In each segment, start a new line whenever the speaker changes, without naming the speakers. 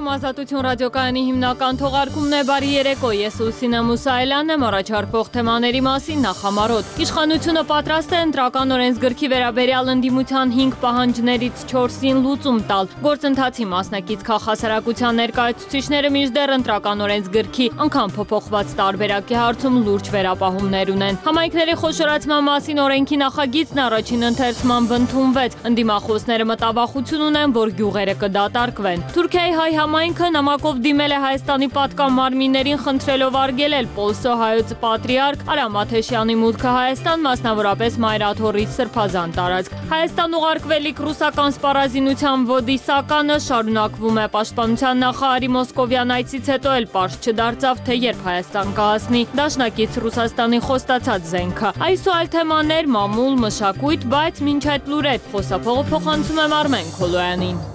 Եթերում Ազատություն ռադիոկայանի հիմնական թողարկումն է բարի երեկո, ես Ուսինա Մուսայելյանն եմ, առաջարկվող թեմաների մասին նախամարոտ։ Իշխանությունը պատրաստ է ընտրական օրենսգրքի վերաբերյալ ընդդիմության 5 պահանջներից 4-ին լուծում տալ։ Գործընթացի մասնակից քաղաքասարակության ներկայացուցիչները մինչդեռ ընտրական օրենսգրքի անգամ փոփոխված տարբերակի հարցում լուրջ վերապահումներ ունեն։ Համայնքների խոշորացման մասին օրենքի նախագիծն առաջին ընթերցմամբ ընդունվեց։ Ընդդիմախոսները մտավախություն ունեն, որ գյուղերը կդատարկվեն։ Թուրքիայի հայ համայնքը նամակով դիմել է Հայաստանի պատկան մարմիններին խնդրելով արգելել Պոլսո հայոց պատրիարք Արամ Աթեշյանի մուտքը Հայաստան, մասնավորապես Մայրաթորից սրբազան տարածք։ Հայաստան ուղարկվելիք ռուսական սպառազինության ոդիսականը շարունակվում է։ Պաշտպանության նախարարի մոսկովյան այցից հետո էլ պարզ չդարձավ, թե երբ Հայաստան կհասնի դաշնակից Ռուսաստանի խոստացած զենքը։ Այս ու այլ թեմաներ, մամուլ, մշակույթ, բայց մինչ այդ լուրեր խոսափողը փոխանցում եմ Արմեն Քոլոյանին։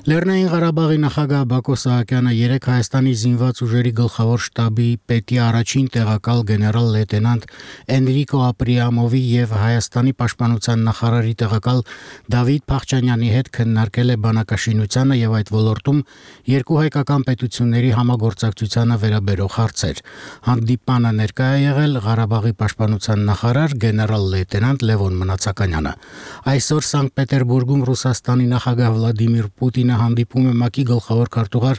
Լեռնային Ղարաբաղի նախագահ Բակո Սահակյանը երեկ Հայաստանի զինված ուժերի գլխավոր շտաբի պետի առաջին տեղակալ գեներալ լեյտենանտ Էնրիկո Ապրիամովի եւ Հայաստանի պաշտպանության նախարարի տեղակալ Դավիթ Փախչանյանի հետ քննարկել է բանակաշինությանը եւ այդ ոլորտում երկու հայկական պետությունների համագործակցությանը վերաբերող հարցեր։ Հանդիպանը ներկայ է եղել Ղարաբաղի պաշտպանության նախարար գեներալ լեյտենանտ Լևոն Մնացականյանը։ Այսօր Սանկտ Պետերբուրգում Ռուսաստանի նախագահ Վլադիմիր Պուտինը հանդիպում է ՄԱԿ-ի գլխավոր քարտուղար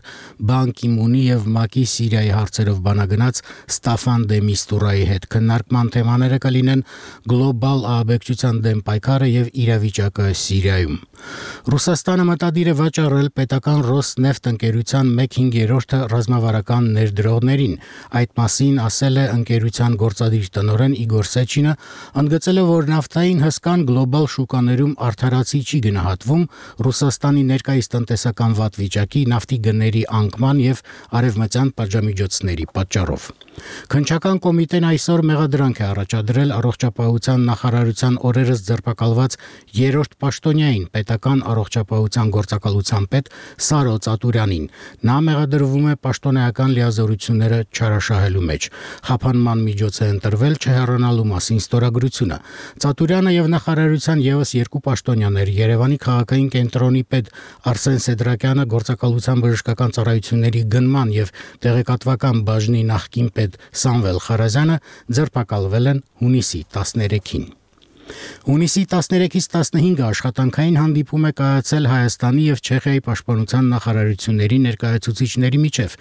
Բան Կի Մունի եւ ՄԱԿ-ի Սիրիայի հարցերով բանագնաց Ստաֆան դե Միստուրայի հետ։ Քննարկման թեմաները կլինեն գլոբալ ահաբեկչության դեմ պայքարը եւ իրավիճակը Սիրիայում։ Ռուսաստանը մտադիր է վաճառել պետական Ռոսնեֆտ ընկերության 1/5 ռազմավարական ներդրողներին։ Այդ մասին ասել է ընկերության գործադիր տնօրեն Իգոր Սեչինը, ընդգծելով, որ նավթային հսկան գլոբալ շուկաներում արդարացի չի գնահատվում Ռուսաստանի ներկայիս տնտեսական վատ վիճակի, նավթի գների անկման եւ արևմտյան պատժամիջոցների պատճառով։ Քննչական կոմիտեն այսօր մեղադրանք է առաջադրել առողջապահության նախարարության օրերս ձերբակալված 3-րդ պաշտոնյային պետական առողջապահության գործակալության պետ Սարո Ծատուրյանին։ Նա մեղադրվում է պաշտոնեական լիազորությունները չարաշահելու մեջ։ Խափանման միջոց է ընտրվել չհեռանալու մասին ստորագրությունը։ Ծատուրյանը եւ նախարարության եւս 2 պաշտոնյաներ Երևանի քաղաքային կենտրոնի պետ Արսեն Սեդրակյանը, գործակալության բժշկական ծառայությունների գնման եւ տեղեկատվական բաժնի նախկին պետ Սամվել Խարազյանը ձերբակալվել են հունիսի 13-ին։ Հունիսի 13-ից 15-ը աշխատանքային հանդիպում է կայացել Հայաստանի եւ Չեխիայի պաշտպանության նախարարությունների ներկայացուցիչների միջև։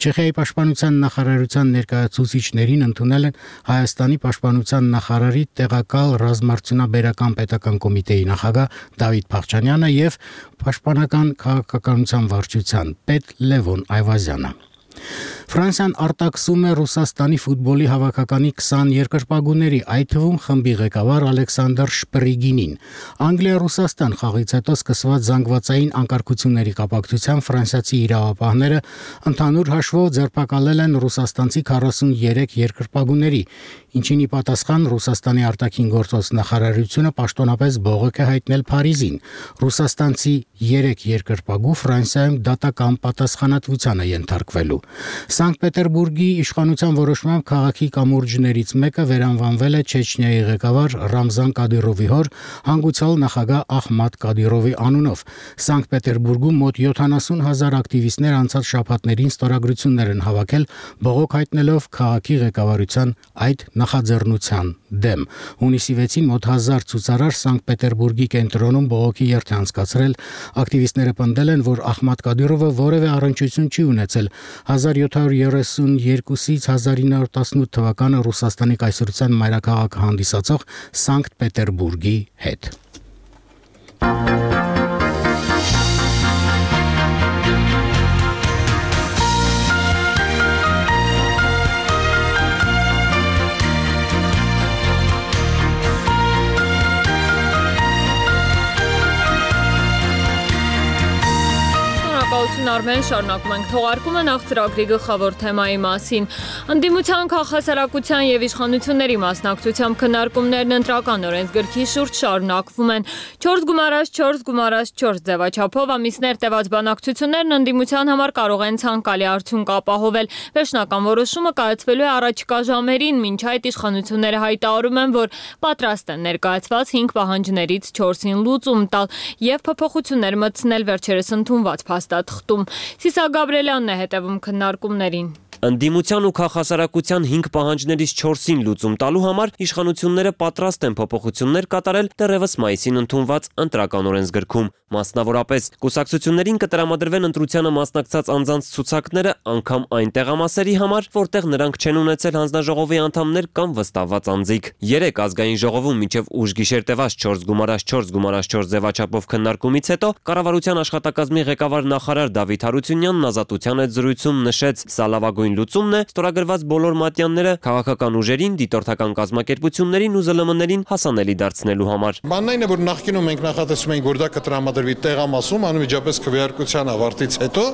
Չեխիայի պաշտպանության նախարարության ներկայացուցիչներին ընդունել են Հայաստանի պաշտպանության նախարարի տեղակալ ռազմարտունաբերական պետական կոմիտեի նախագահ Դավիթ Փախչանյանը եւ պաշտպանական քաղաքականության վարչության պետ Լևոն Այվազյանը։ Ֆրանսիան արտաքսում է Ռուսաստանի ֆուտբոլի հավաքականի 20 երկրպագուների, այդ թվում խմբի ղեկավար Ալեքսանդր Շպրիգինին։ Անգլիա-Ռուսաստան խաղից հետո սկսված զանգվածային անկարգությունների կապակցությամբ ֆրանսիացի իրավապահները ընդհանուր հաշվով ձերբակալել են ռուսաստանցի 43 երկրպագուների, ինչին ի պատասխան Ռուսաստանի արտաքին գործոց նախարարությունը պաշտոնապես բողոք է հայտնել Փարիզին։ Ռուսաստանցի 3 երկրպագու Ֆրանսիայում դատական պատասխանատվության է ենթարկվելու։ Սանկտ Պետերբուրգի իշխանության որոշմամբ քաղաքի կամուրջներից մեկը վերանվանվել է Չեչնիայի ղեկավար Ռամզան Կադիրովի հոր հանգուցյալ նախագահ Ախմատ Կադիրովի անունով։ Սանկտ Պետերբուրգում մոտ 70,000 ակտիվիստներ անցած շաբաթներին ստորագրություններ են հավաքել բողոք հայտնելով քաղաքի ղեկավարության այդ նախաձեռնության դեմ։ Հունիսի 6-ին մոտ 1000 ցուցարար Սանկտ Պետերբուրգի կենտրոնում բողոքի երթ է անցկացրել։ Ակտիվիստները պնդել են, որ Ախմատ Կադիրովը որևէ առնչություն չի ունեցել 1732-ից 1918 թվականը Ռուսաստանի կայսրության մայրաքաղաքը հանդիսացող Սանկտ Պետերբուրգի հետ։
Արմեն, շարունակում ենք թողարկումը նախ ծրագրի գլխավոր թեմայի մասին։ Ընդդիմության քաղաքասարակության եւ իշխանությունների մասնակցությամբ քննարկումներն ընտրական օրենսգրքի շուրջ շարունակվում են։ 4+4+4 ձևաչափով ամիսներ տևած բանակցություններն ընդդիմության համար կարող են ցանկալի արդյունք ապահովել։ Վերջնական որոշումը կայացվելու է առաջիկա ժամերին, մինչ այդ իշխանությունները հայտարարում են, որ պատրաստ են ներկայացված 5 պահանջներից 4-ին լուծում տալ եւ փոփոխություններ մտցնել վերջերս ընդունված փաստաթղթում։ Սիսա Գաբրելյանն է հետևում քննարկումներին։
Ընդդիմության ու քաղաքասարակության 5 պահանջներից 4-ին լուծում տալու համար իշխանությունները պատրաստ են փոփոխություններ կատարել դեռևս մայիսին ընդունված ընտրական օրենսգրքում։ Մասնավորապես, կուսակցություններին կտրամադրվեն ընտրությանը մասնակցած անձանց ցուցակները անգամ այն տեղամասերի համար, որտեղ նրանք չեն ունեցել հանձնաժողովի անդամներ կամ վստահված անձիկ։ 3 ազգային ժողովում մինչև ուշ գիշեր տևած 4+4+4 ձևաչափով քննարկումից հետո կառավարության աշխատակազմի ղեկավար նախարար Դավիթ Հարությունյանն Ազատության հետ զրույցում նշեց՝ սա լավագույն լուծումն է ստորագրված բոլոր մատյանները քաղաքական ուժերին, դիտորդական կազմակերպություններին ու ԶԼՄ-ներին հասանելի դարձնելու համար։
Բանն այն է, որ նախկինում մենք նախատեսում ենք, որ դա կտրամադրվի տեղամասում, անմիջապես քվեարկության ավարտից հետո,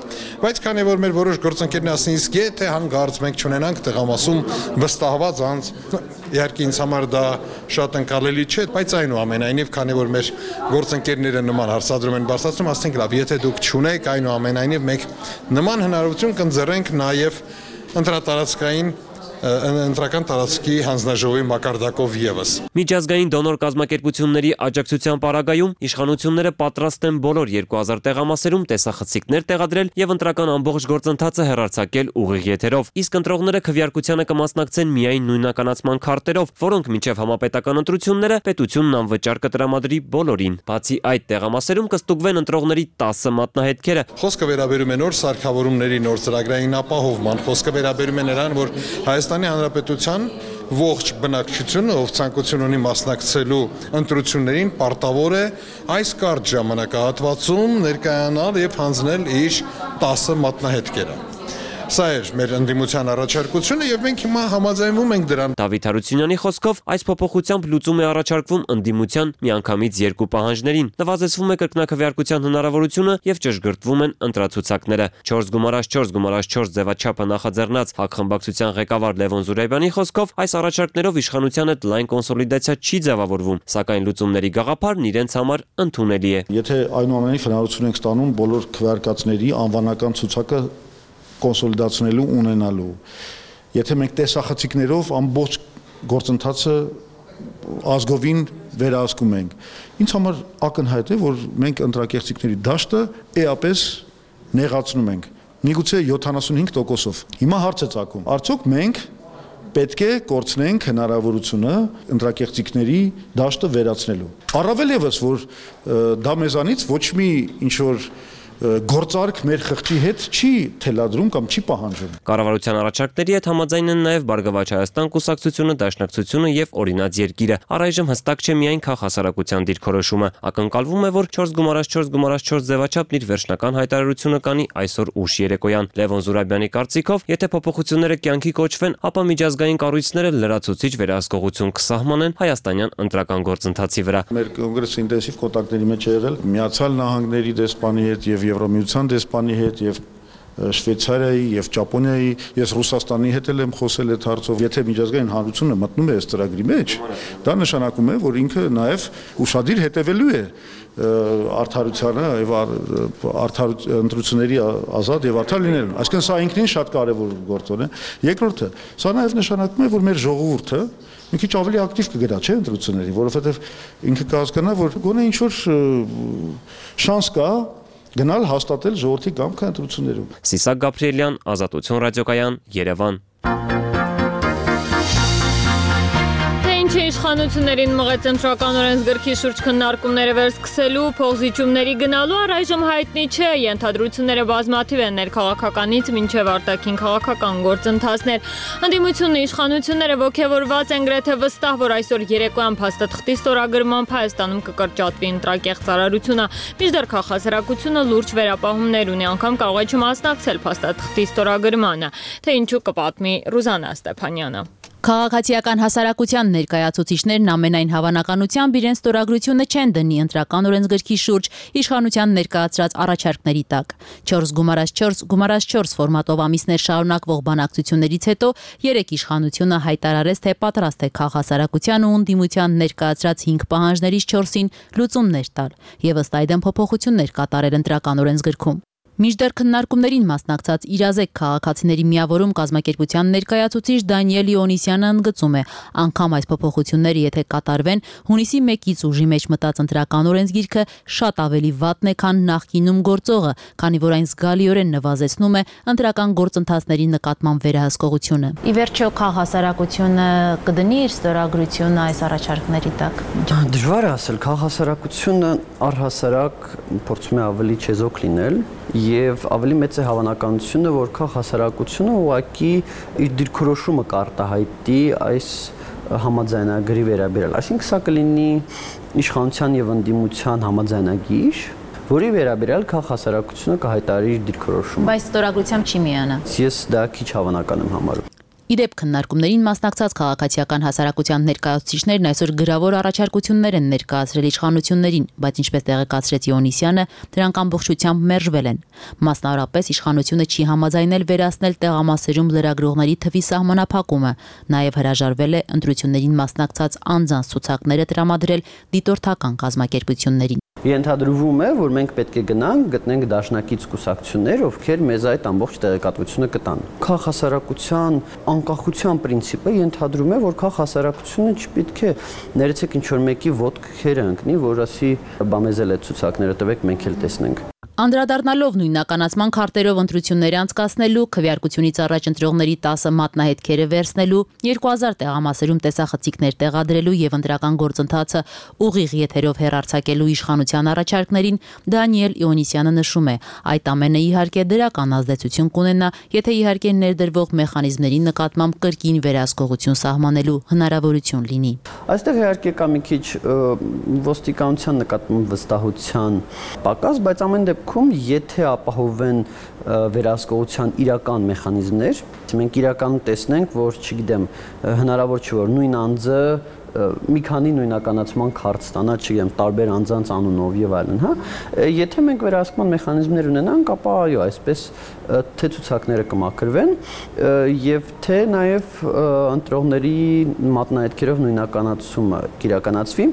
բայց քանի որ մեր որոշ գործընկերներ ասին, իսկ եթե հանգարց մենք չունենանք տեղամասում վստահված անձ, իհարկե ինձ համար դա շատ ընկալելի չէ, բայց այնուամենայնիվ, քանի որ մեր գործընկերները նման հարցադրում են բարձրացնում, ասենք լավ, եթե դուք չունեք, այնուամենայնիվ մենք նման հնարավորություն կընձեռենք նաև ընտրական տարածքի հանձնաժողովի մակարդակով եւս։
Միջազգային դոնոր կազմակերպությունների աջակցության պարագայում իշխանությունները պատրաստ են բոլոր 2000 տեղամասերում տեսախցիկներ տեղադրել եւ ընտրական ամբողջ գործընթացը հեռարձակել ուղիղ եթերով, իսկ ընտրողները քվեարկությանը կմասնակցեն միայն նույնականացման քարտերով, որոնք մինչեւ համապետական ընտրությունները պետությունն անվճար կտրամադրի բոլորին։ Բացի այդ, տեղամասերում կստուգվեն ընտրողների 10 մատնահետքերը։
Խոսքը վերաբերում է նոր սարքավորումների, նոր ծրագրային ապահովման, խոսքը վերաբերում է նրան, որ Հայաստանի Հանրապետության ողջ բնակչությունը, ով ցանկություն ունի մասնակցելու ընտրություններին, պարտավոր է այս կարճ ժամանակահատվածում ներկայանալ եւ հանձնել իր 10 մատնահետքերը։ Սա էր մեր ընդդիմության առաջարկությունը եւ մենք հիմա համաձայնվում ենք դրան։
Դավիթ Հարությունյանի խոսքով այս փոփոխությամբ լուծում է առաջարկվում ընդդիմության միանգամից 2 պահանջներին։ Նվազեցվում է կրկնակվեարկության հնարավորությունը եւ ճշգրտվում են ընտրացուցակները։ 4+4+4 ձևաչափը նախաձեռնած հակխմբակցության ղեկավար Լևոն Զուրաբյանի խոսքով այս առաջարկներով իշխանության հետ լայն կոնսոլիդացիա չի ձևավորվում, սակայն լուծումների գաղափարն իրենց համար ընդունելի է։
Եթե այնուամենայնիվ հնարավորություն ենք ստանում բոլոր քվեարկածների անվանական ցուցակը կոնսոլիդացնելու ունենալու։ Եթե մենք տեսախցիկներով ամբողջ գործընթացը ազգովին վերահսկում ենք, ինձ համար ակնհայտ է, որ մենք ընտրակեղծիքների դաշտը էապես նեղացնում ենք, միգուցե 75%-ով։ Հիմա հարց է ծագում, արդյոք մենք պետք է կորցնենք հնարավորությունը ընտրակեղծիքների դաշտը վերացնելու։ Առավել ևս, որ դա մեզանից ոչ մի ինչ-որ գործարք մեր խղճի հետ չի թելադրում կամ չի պահանջում։
Կառավարության առաջարկների հետ համաձայն են նաև Բարգավաճ Հայաստան կուսակցությունը, Դաշնակցությունը եւ Օրինաց երկիրը։ Առայժմ հստակ չէ միայն քաղաքասարակության դիրքորոշումը։ Ակնկալվում է, որ 4+4+4 ձևաչափն իր վերջնական հայտարարությունը կանի այսօր ուշ երեկոյան։ Լևոն Զուրաբյանի կարծիքով, եթե փոփոխությունները կյանքի կոչվեն, ապա միջազգային կառույցները լրացուցիչ վերահսկողություն կսահմանեն հայաստանյան ընտրական գործընթացի վրա։
Մեր կոնգրեսը ինտենսիվ կոնտակտների մեջ է եղել Միացյալ Նահանգների դեսպանի հետ եւ Եվրամիության դեսպանի հետ եւ Շվեյցարիայի եւ Ճապոնիայի, ես Ռուսաստանի հետ եմ խոսել այդ հարցով։ Եթե միջազգային հանրությունը մտնում է այս ծրագրի մեջ, դա նշանակում է, որ ինքը նաեւ ուշադիր հետևելու է արդարությանը եւ ընտրությունների ազատ եւ արդար լինելուն։ Այսինքն սա ինքնին շատ կարեւոր գործոն է։ Երկրորդը, սա նաեւ նշանակում է, որ մեր ժողովուրդը մի քիչ ավելի ակտիվ կգնա, չէ՞, ընտրությունների, որովհետեւ ինքը կհասկանա, որ գոնե ինչ որ շանս կա գնալ հաստատել ժողովրդի կամքը ընտրություններում։
Սիսա Գաբրելյան, Ազատություն ռադիոկայան, Երևան։
Իշխանություններին մղեց ընտրական օրենսգրքի շուրջ քննարկումները վերսկսելու, փոխզիջումների գնալու առայժմ հայտնի չէ, ենթադրությունները բազմաթիվ են ներքաղաքականից մինչև արտաքին քաղաքական գործընթացներ։ Ընդդիմությունն իշխանությունները ոգևորված են գրեթե վստահ, որ այսօր երեկոյան փաստաթղթի ստորագրմամբ Հայաստանում կկրճատվի ընտրակեղծ ծառայությունը, մինչդեռ քաղաքասարակությունը լուրջ վերապահումներ ունի, անգամ կարող է չմասնակցել փաստաթղթի ստորագրմանը, թե ինչու կպատմի Ռուզաննա Ստեփանյանը։
Քաղաքացիական հասարակության ներկայացուցիչներն ամենայն հավանականությամբ իրենց ստորագրությունը չեն դնի ընտրական օրենսգրքի շուրջ իշխանության ներկայացրած առաջարկների տակ։ 4x4 ֆորմատով ամիսներ շարունակվող բանակցություններից հետո երեք իշխանությունը հայտարարեց, թե պատրաստ է քաղաքասարակության ու ընդդիմության ներկայացրած 5 պահանջներից 4-ին լուծումներ տալ եւ ըստ այդմ փոփոխություններ կատարել ընտրական օրենսգրքում։ Մինչդեռ քննարկումներին մասնակցած իրազեկ քաղաքացիների միավորում կազմակերպության ներկայացուցիչ Դանիել Իոնիսյանը ընդգծում է, անգամ այս փոփոխությունները եթե կատարվեն, հունիսի 1-ից ուժի մեջ մտած ընտրական օրենսգիրքը շատ ավելի վատն է, քան նախկինում գործողը, քանի որ այն զգալիորեն նվազեցնում է ընտրական գործընթացների նկատմամբ վերահսկողությունը։ Ի վերջո քաղաքասարակությունը կդնի իր ստորագրությունը այս առաջարկների տակ։
Դժվար է ասել, քաղաքասարակությունը առհասարակ փորձում է ավելի չեզոք լինել եւ ավելի մեծ է հավանականությունը, որ քաղաքասարակությունը ուղղակի իր դիրքորոշումը կարտահայտի այս համաձայնագրի վերաբերյալ։ Այսինքն սա կլինի իշխանության եւ ընդդիմության համաձայնագիր, որի վերաբերյալ քաղաքասարակությունը կհայտարարի իր դիրքորոշումը։
Բայց ստորագրությամբ չի միանա։
Ես դա քիչ հավանական եմ համարում։
Իդեպ քննարկումներին մասնակցած քաղաքացիական հասարակության ներկայացուցիչներն այսօր գրավոր առաջարկություններ են ներկայացրել իշխանություններին, բայց ինչպես տեղեկացրեց Իոնիսյանը, դրանք ամբողջությամբ մերժվել են։ Մասնավորապես իշխանությունը չի համաձայնել վերացնել տեղամասերում լրագրողների թվի սահմանափակումը, նաև հրաժարվել է ընտրություններին մասնակցած անձանց ցուցակները տրամադրել դիտորդական կազմակերպություններին։
Ենթադրվում է, որ մենք պետք է գնանք, գտնենք դաշնակից կուսակցություններ, ովքեր մեզ այդ ամբողջ տեղեկատվությունը կտան։ Քաղաքասարակության անկախության պրինցիպը ենթադրում է, որ քաղաքասարակությունը չպետք է ներեցեք ինչ-որ մեկի ոտքերը ընկնի, որ ասի բա մեզ էլ այդ ցուցակները տվեք, մենք էլ տեսնենք։
Անդրադառնալով նույնականացման քարտերով ընտրություններ անցկացնելու, քվեարկությունից առաջ ընտրողների 10 մատնահետքերը վերցնելու, 2000 տեղամասերում տեսախցիկներ տեղադրելու եւ ընտրական գործընթացը ուղիղ եթերով հեռարձակելու իշխանության առաջարկներին Դանիել Իոնիսյանը նշում է, այդ ամենը իհարկե դրական ազդեցություն կունենա, եթե իհարկե ներդրվող մեխանիզմների նկատմամբ կրկին վերահսկողություն սահմանելու հնարավորություն լինի։
Այստեղ իհարկե կա մի քիչ ոստիկանության նկատմամբ վստահության պակաս, բայց ամեն դեպքում եթե ապահովեն վերահսկողության իրական մեխանիզմներ, մենք իրականում տեսնենք, որ չգիտեմ, հնարավոր չէ որ նույն անձը մի քանի նույնականացման քարտ ստանա, չգիտեմ, տարբեր անձանց անունով եւ այլն, հա։ Եթե մենք վերահսկման մեխանիզմներ ունենանք, ապա այո, այսպես թե ցուցակները կմաքրվեն եւ թե նաեւ ընտրողների մատնահետքերով նույնականացումը կիրականացվի։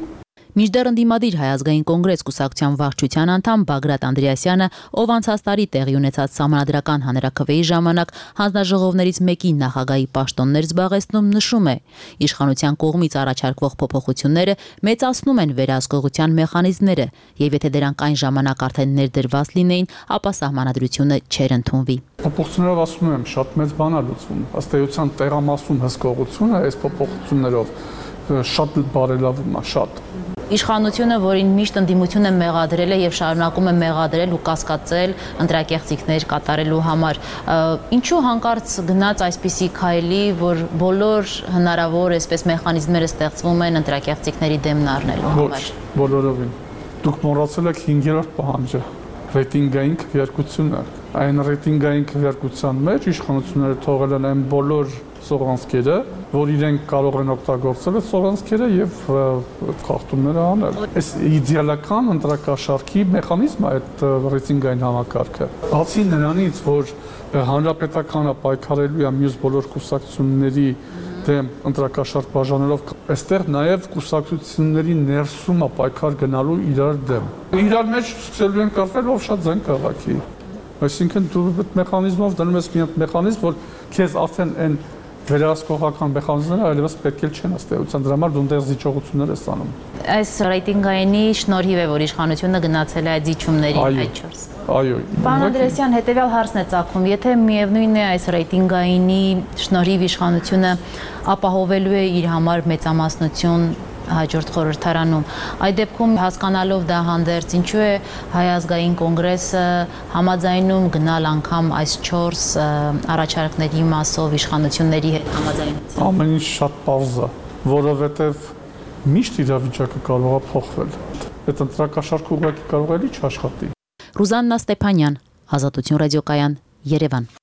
Մինչդեռ ընդդիմադիր Հայ ազգային կոնգրես կուսակցության վարչության անդամ Բագրատ Անդրեասյանը, ով անցած տարի տեղի ունեցած սահմանադրական հանրաքվեի ժամանակ հանձնաժողովներից մեկի նախագահի պաշտոններ զբաղեցնում, նշում է. իշխանության կողմից առաջարկվող փոփոխությունները մեծացնում են վերահսկողության մեխանիզմները, եւ եթե դրանք այն ժամանակ արդեն ներդրված լինեին, ապա սահմանադրությունը չէր ընդունվի։
Փոփոխություններով ասում եմ, շատ մեծ բան է լուծվում։ Ըստ էության տեղամասում հսկողությունը այս փոփոխություններով շատ բարելավում է, շատ։
Իշխանությունը, որին միշտ ընդդիմությունը մեղադրել է եւ շարունակում է մեղադրել ու կասկածել ընտրակեղծիքներ կատարելու համար, ինչու հանկարծ գնաց այսպիսի քայլի, որ բոլոր հնարավոր այսպես մեխանիզմները ստեղծվում են ընտրակեղծիքների դեմն առնելու համար։
Բոլորովին։ Դուք մոռացել եք 5-րդ պահանջը, ռեյտինգային քվեարկությունը։ Այն ռեյտինգային քվեարկության մեջ իշխանությունները թողել են այն բոլոր սողանցքերը, որ իրենք կարող են օգտագործել այդ սողանցքերը եւ խախտումները անել։ Այս իդեալական ընտրակաշարքի մեխանիզմը այդ ռեյտինգային համակարգը։ Բացի նրանից, որ հանրապետականը պայքարելու է մյուս բոլոր կուսակցությունների դեմ ընտրակաշարք բաժանելով, այստեղ նաև կուսակցությունների ներսում է պայքար գնալու իրար դեմ։ Իրար մեջ սկսելու են կապվել ով շատ ձայն քաղաքի։ Այսինքն դու այդ մեխանիզմով դնում ես մի հատ մեխանիզմ, որ քեզ արդեն այն վերահսկողական մեխանիզմները այլևս պետք է չեն ըստ էության, դրա համար դու այնտեղ զիջողություններ ես անում։
Այս ռեյտինգայինի շնորհիվ է, որ իշխանությունը գնացել է այդ զիջումներին այդ 4։
Այո։
Պարոն Անդրեասյան, հետեւյալ հարցն է ծագում, եթե միևնույն է այս ռեյտինգայինի շնորհիվ իշխանությունը ապահովելու է իր համար մեծամասնություն հաջորդ խորհրդարանում, այդ դեպքում հասկանալով դա հանդերձ, ինչու է Հայ ազգային կոնգրեսը համաձայնում գնալ անգամ այս 4 առաջարկների մասով իշխանությունների հետ համաձայնության։
Ամեն ինչ շատ պարզ է, որովհետև միշտ իրավիճակը կարող է փոխվել։ Այդ ընտրակաշարքը ուղղակի կարող է չաշխատի։
Ռուզաննա Ստեփանյան, Ազատություն ռադիոկայան, Երևան։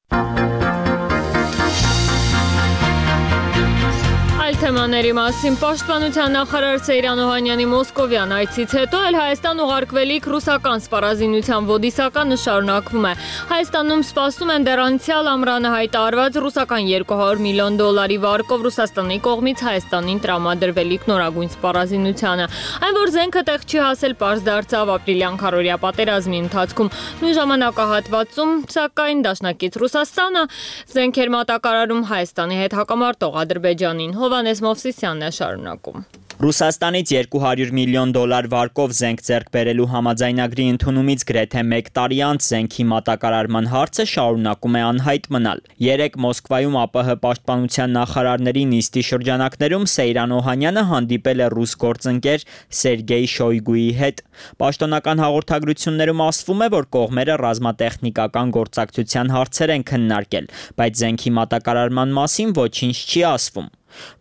Թեմաների մասին պաշտպանության նախարար Սեյրան Օհանյանի մոսկովյան այցից հետո էլ Հայաստան ուղարկվելիք ռուսական սպառազինության ոդիսականը շարունակվում է։ Հայաստանում սպասում են դեռ անցյալ ամռանը հայտարարված ռուսական $200 միլիոն վարկով Ռուսաստանի կողմից Հայաստանին տրամադրվելիք նորագույն սպառազինությանը։ Այն որ զենքը տեղ չի հասել, պարզ դարձավ ապրիլյան քարորիա պատերազմի ընթացքում։ Նույն ժամանակահատվածում, սակայն դաշնակից Ռուսաստանը զենքեր մատակարարում Հայաստանի հետ հակամարտող Ադրբեջանին։ Հովանես Մովսիսյանն է շարունակում։
Ռուսաստանից $200 միլիոն վարկով զենք ձեռք բերելու համաձայնագրի ընդունումից գրեթե 1 տարի անց զենքի մատակարարման հարցը շարունակում է անհայտ մնալ։ Երեկ Մոսկվայում ԱՊՀ պաշտպանության նախարարների նիստի շրջանակներում Սեյրան Օհանյանը հանդիպել է ռուս գործընկեր Սերգեյ Շոյգուի հետ։ Պաշտոնական հաղորդագրություններում ասվում է, որ կողմերը ռազմատեխնիկական գործակցության հարցեր են քննարկել, բայց զենքի մատակարարման մասին ոչինչ չի ասվում։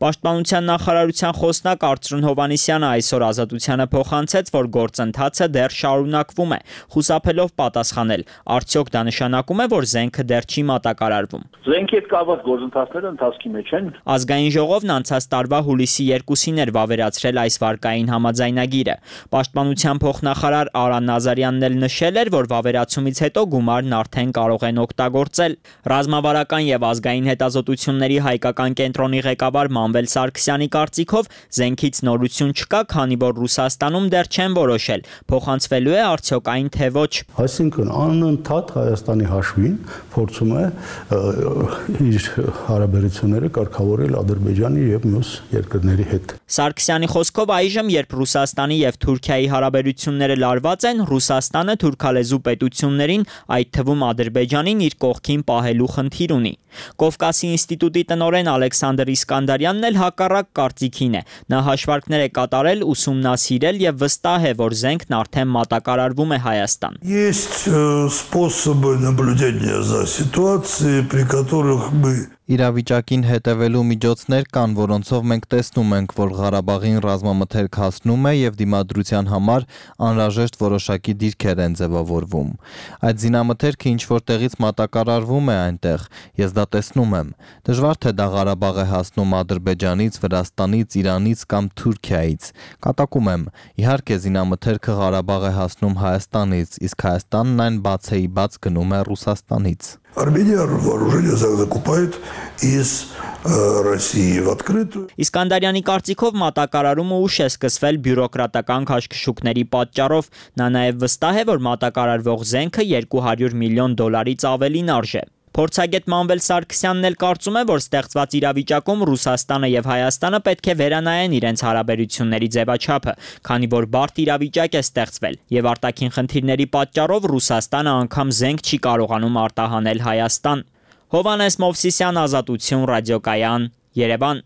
Պաշտպանության նախարարության խոսնակ Արծրուն Հովանեսյանը այսօր Ազատությանը փոխանցեց, որ գործընթացը դեռ շարունակվում է, խուսափելով պատասխանել, արդյոք դա նշանակում է, որ զենքը դեռ չի մատակարարվում։
Զենքի հետ կապված գործընթացները ընթացքի մեջ են։
Ազգային ժողովն անցած տարվա հուլիսի 2-ին էր վավերացրել այս վարկային համաձայնագիրը։ Պաշտպանության փոխնախարար Արա Նազարյանն էլ նշել էր, որ վավերացումից հետո գումարն արդեն կարող են օգտագործել։ Ռազմավարական եւ ազգային հետազոտությունների հայկական կենտրոնի ղեկավար Մանվել Սարգսյանի կարծիքով զենքից նորություն չկա, քանի որ Ռուսաստանում դեռ չեն որոշել, փոխանցվելու է արդյոք այն թե ոչ։
Այսինքն անընդհատ Հայաստանի հաշվին փորձում է իր հարաբերությունները կարգավորել Ադրբեջանի եւ մյուս երկրների հետ։
Սարգսյանի խոսքով այժմ, երբ Ռուսաստանի եւ Թուրքիայի հարաբերությունները լարված են, Ռուսաստանը թուրքալեզու պետություններին, այդ թվում Ադրբեջանին իր կողքին պահելու խնդիր ունի։ Կովկասի ինստիտուտի տնօրեն Ալեքսանդր Իսկանդարյանն էլ հակառակ կարծիքին է։ Նա հաշվարկներ է կատարել, ուսումնասիրել եւ վստահ է, որ զենքն արդեն մատակարարվում է Հայաստան։
Есть способы наблюдения за ситуацией, при которых мы
Իրավիճակին հետևելու միջոցներ կան, որոնցով մենք տեսնում ենք, որ Ղարաբաղին ռազմամթերք հասնում է եւ դիմադրության համար անհրաժեշտ որոշակի դիրքեր են ձևավորվում։ Այդ զինամթերքը ինչ որ տեղից մատակարարվում է այնտեղ, ես դա տեսնում եմ։ Դժվար թե դա Ղարաբաղ է հասնում Ադրբեջանից, Վրաստանից, Իրանից կամ Թուրքիայից։ Կատակում եմ, իհարկե զինամթերքը Ղարաբաղ է հասնում Հայաստանից, իսկ Հայաստանն այն բացեիբաց գնում է Ռուսաստանից։
Армения вооружение закупает из России в открытую.
Իսկանդարյանի կարծիքով մատակարարումը ուշ է սկսվել բյուրոկրատական քաշքշուկների պատճառով։ Նա նաև վստահ է, որ մատակարարվող զենքը $200 միլիոն ավելին արժե։ Փորձագետ Մանվել Սարգսյանն էլ կարծում է, որ ստեղծված իրավիճակում Ռուսաստանը եւ Հայաստանը պետք է վերանայեն իրենց հարաբերությունների ձևաչափը, քանի որ բարդ իրավիճակ է ստեղծվել եւ արտաքին խնդիրների պատճառով Ռուսաստանը անգամ զենք չի կարողանում արտահանել Հայաստան։ Հովանես Մովսիսյան, Ազատություն, ռադիոկայան, Երևան։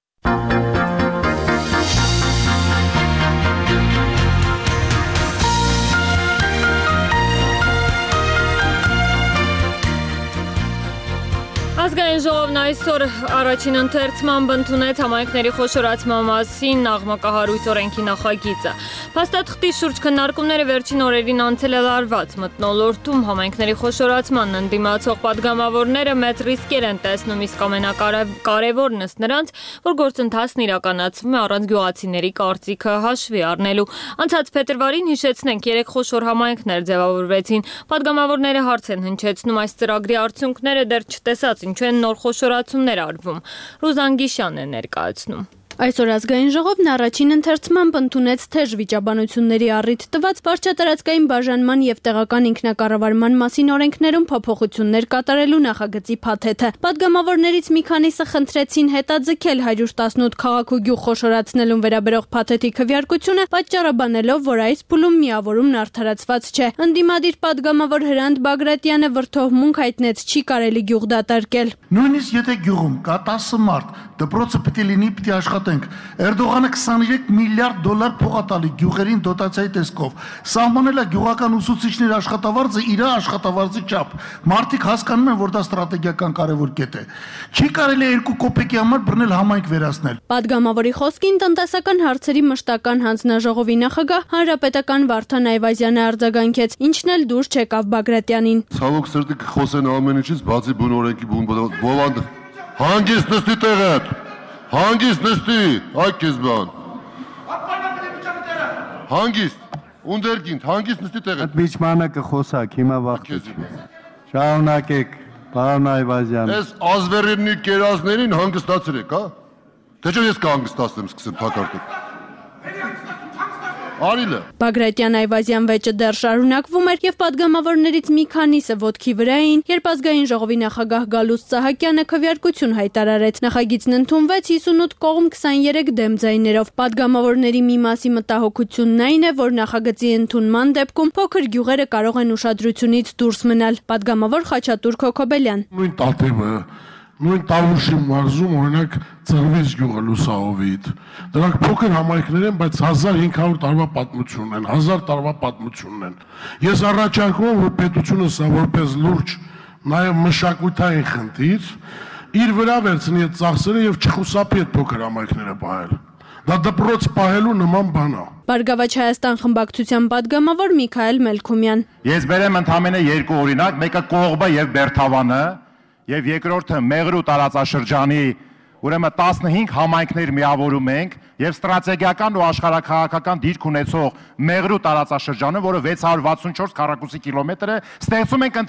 Ազգային ժողովն այսօր առաջին ընթերցմամբ ընդունեց համայնքների խոշորացման մասին աղմկահարույց օրենքի նախագիծը։ Փաստաթղթի շուրջ քննարկումները վերջին օրերին անցել է լարված մթնոլորտում համայնքների խոշորացմանն ընդդիմացող падգամավորները մեծ ռիսկեր են տեսնում, իսկ ամենակարևորն ըստ նրանց, որ գործընթացն իրականացվում է առանց գյուղացիների կարծիքը հաշվի առնելու։ Անցած փետրվարին հիշեցնենք 3 խոշոր համայնքներ ձևավորվեցին։ Падգամավորները հարց են հնչեցնում այս ծրագրի արդյունքները դեռ չտեսած ինչու են նոր խոշորացումներ արվում։ Ռուզան Գիշյանն է ներկայացնում։
Այսօր ազգային ժողովն առաջին ընթերցմամբ ընդունեց թեժ վիճաբանությունների առիթ տված վարչատարածքային բաժանման եւ տեղական ինքնակառավարման մասին օրենքներում փոփոխություններ կատարելու նախագծի փաթեթը։ Պատգամավորներից մի քանիսը խնդրեցին հետաձգել 118 քաղաք ու գյուղ խոշորացնելուն վերաբերող փաթեթի քվեարկությունը, պատճառաբանելով, որ այս փուլում միավորումն արդարացված չէ։ Ընդդիմադիր պատգամավոր Հրանտ Բագրատյանը վրդովմունք հայտնեց, չի կարելի գյուղ դատարկել։
Նույնիսկ եթե գյուղում կա 10 մարդ, դպրոցը պետք է լինի, պետք է աշխատենք։ Էրդողանը $23 միլիարդ փողատալի գյուղերին դոտացիայի տեսքով։ Սահմանել է գյուղական ուսուցիչների աշխատավարձը իր աշխատավարձի չափ։ Մարդիկ հասկանում են, որ դա ստրատեգիական կարևոր կետ է։ Չի կարելի 2 կոպեկի համար բռնել համայնք վերացնել։
Պատգամավորի խոսքին տնտեսական հարցերի մշտական հանձնաժողովի նախագահ հանրապետական Վարդան Այվազյանը արձագանքեց, ինչն էլ դուր չեկավ Բագրատյանին։
Ցավոք սրտի խոսեն ամեն ինչից, բացի բուն օրենքի բովանդը։ Հանգիստ նստի տեղդ։ Հանգիստ նստի, այ քեզ բան։ Հանգիստ, ունդերգինդ, հանգիստ նստի տեղը։
Այդ միջմանը կխոսակ, հիմա վախտ։ Շարունակեք, պարոն Այվազյան։
Այս ազվերինի կերազներին հանգստացրեք, հա։ Թե չէ ես կհանգստացնեմ, սկսեմ թակարդել։ Արիլը։
Բագրատյան Այվազյան վեճը դեռ շարունակվում էր եւ падգամավորներից մի քանիսը ոտքի վրա էին, երբ ազգային ժողովի նախագահ Գալուստ Սահակյանը քվեարկություն հայտարարեց։ Նախագիծն ընդունվեց 58 կողմ 23 դեմ ձայներով։ Падգամավորների մի մասի մտահոգությունն այն է, որ նախագծի ընդունման դեպքում փոքր գյուղերը կարող են ուշադրությունից դուրս մնալ։ Падգամավոր Խաչատուր Քոքոբելյան։
Նույն Տաթևը, նույն Տավուշի մարզում օրինակ Ծռվից գյուղը Լուսահովիտ։ Դրանք փոքր համայնքներ են, բայց 1500 տարվա պատմություն ունեն, 1000 տարվա պատմություն ունեն։ Ես առաջարկում եմ, որ պետությունը սա որպես լուրջ նաև մշակութային խնդիր իր վրա վերցնի այդ ծախսերը եւ չխուսափի այդ փոքր համայնքները պահել։ Դա դպրոց պահելու նման բան է։
Բարգավաճ Հայաստան խմբակցության падգամավոր Միքայել Մելքումյան։
Ես բերեմ ընդամենը երկու օրինակ, մեկը Կողբը եւ Բերթավանը, եւ երկրորդը Մեղրու տարածաշրջանի, ուրեմն 15 համայնքներ միավորում ենք եւ ստրատեգիական ու աշխարհաքաղաքական դիրք ունեցող Մեղրու տարածաշրջանը, որը 664 քառակուսի կիլոմետր է, ստեղծում ենք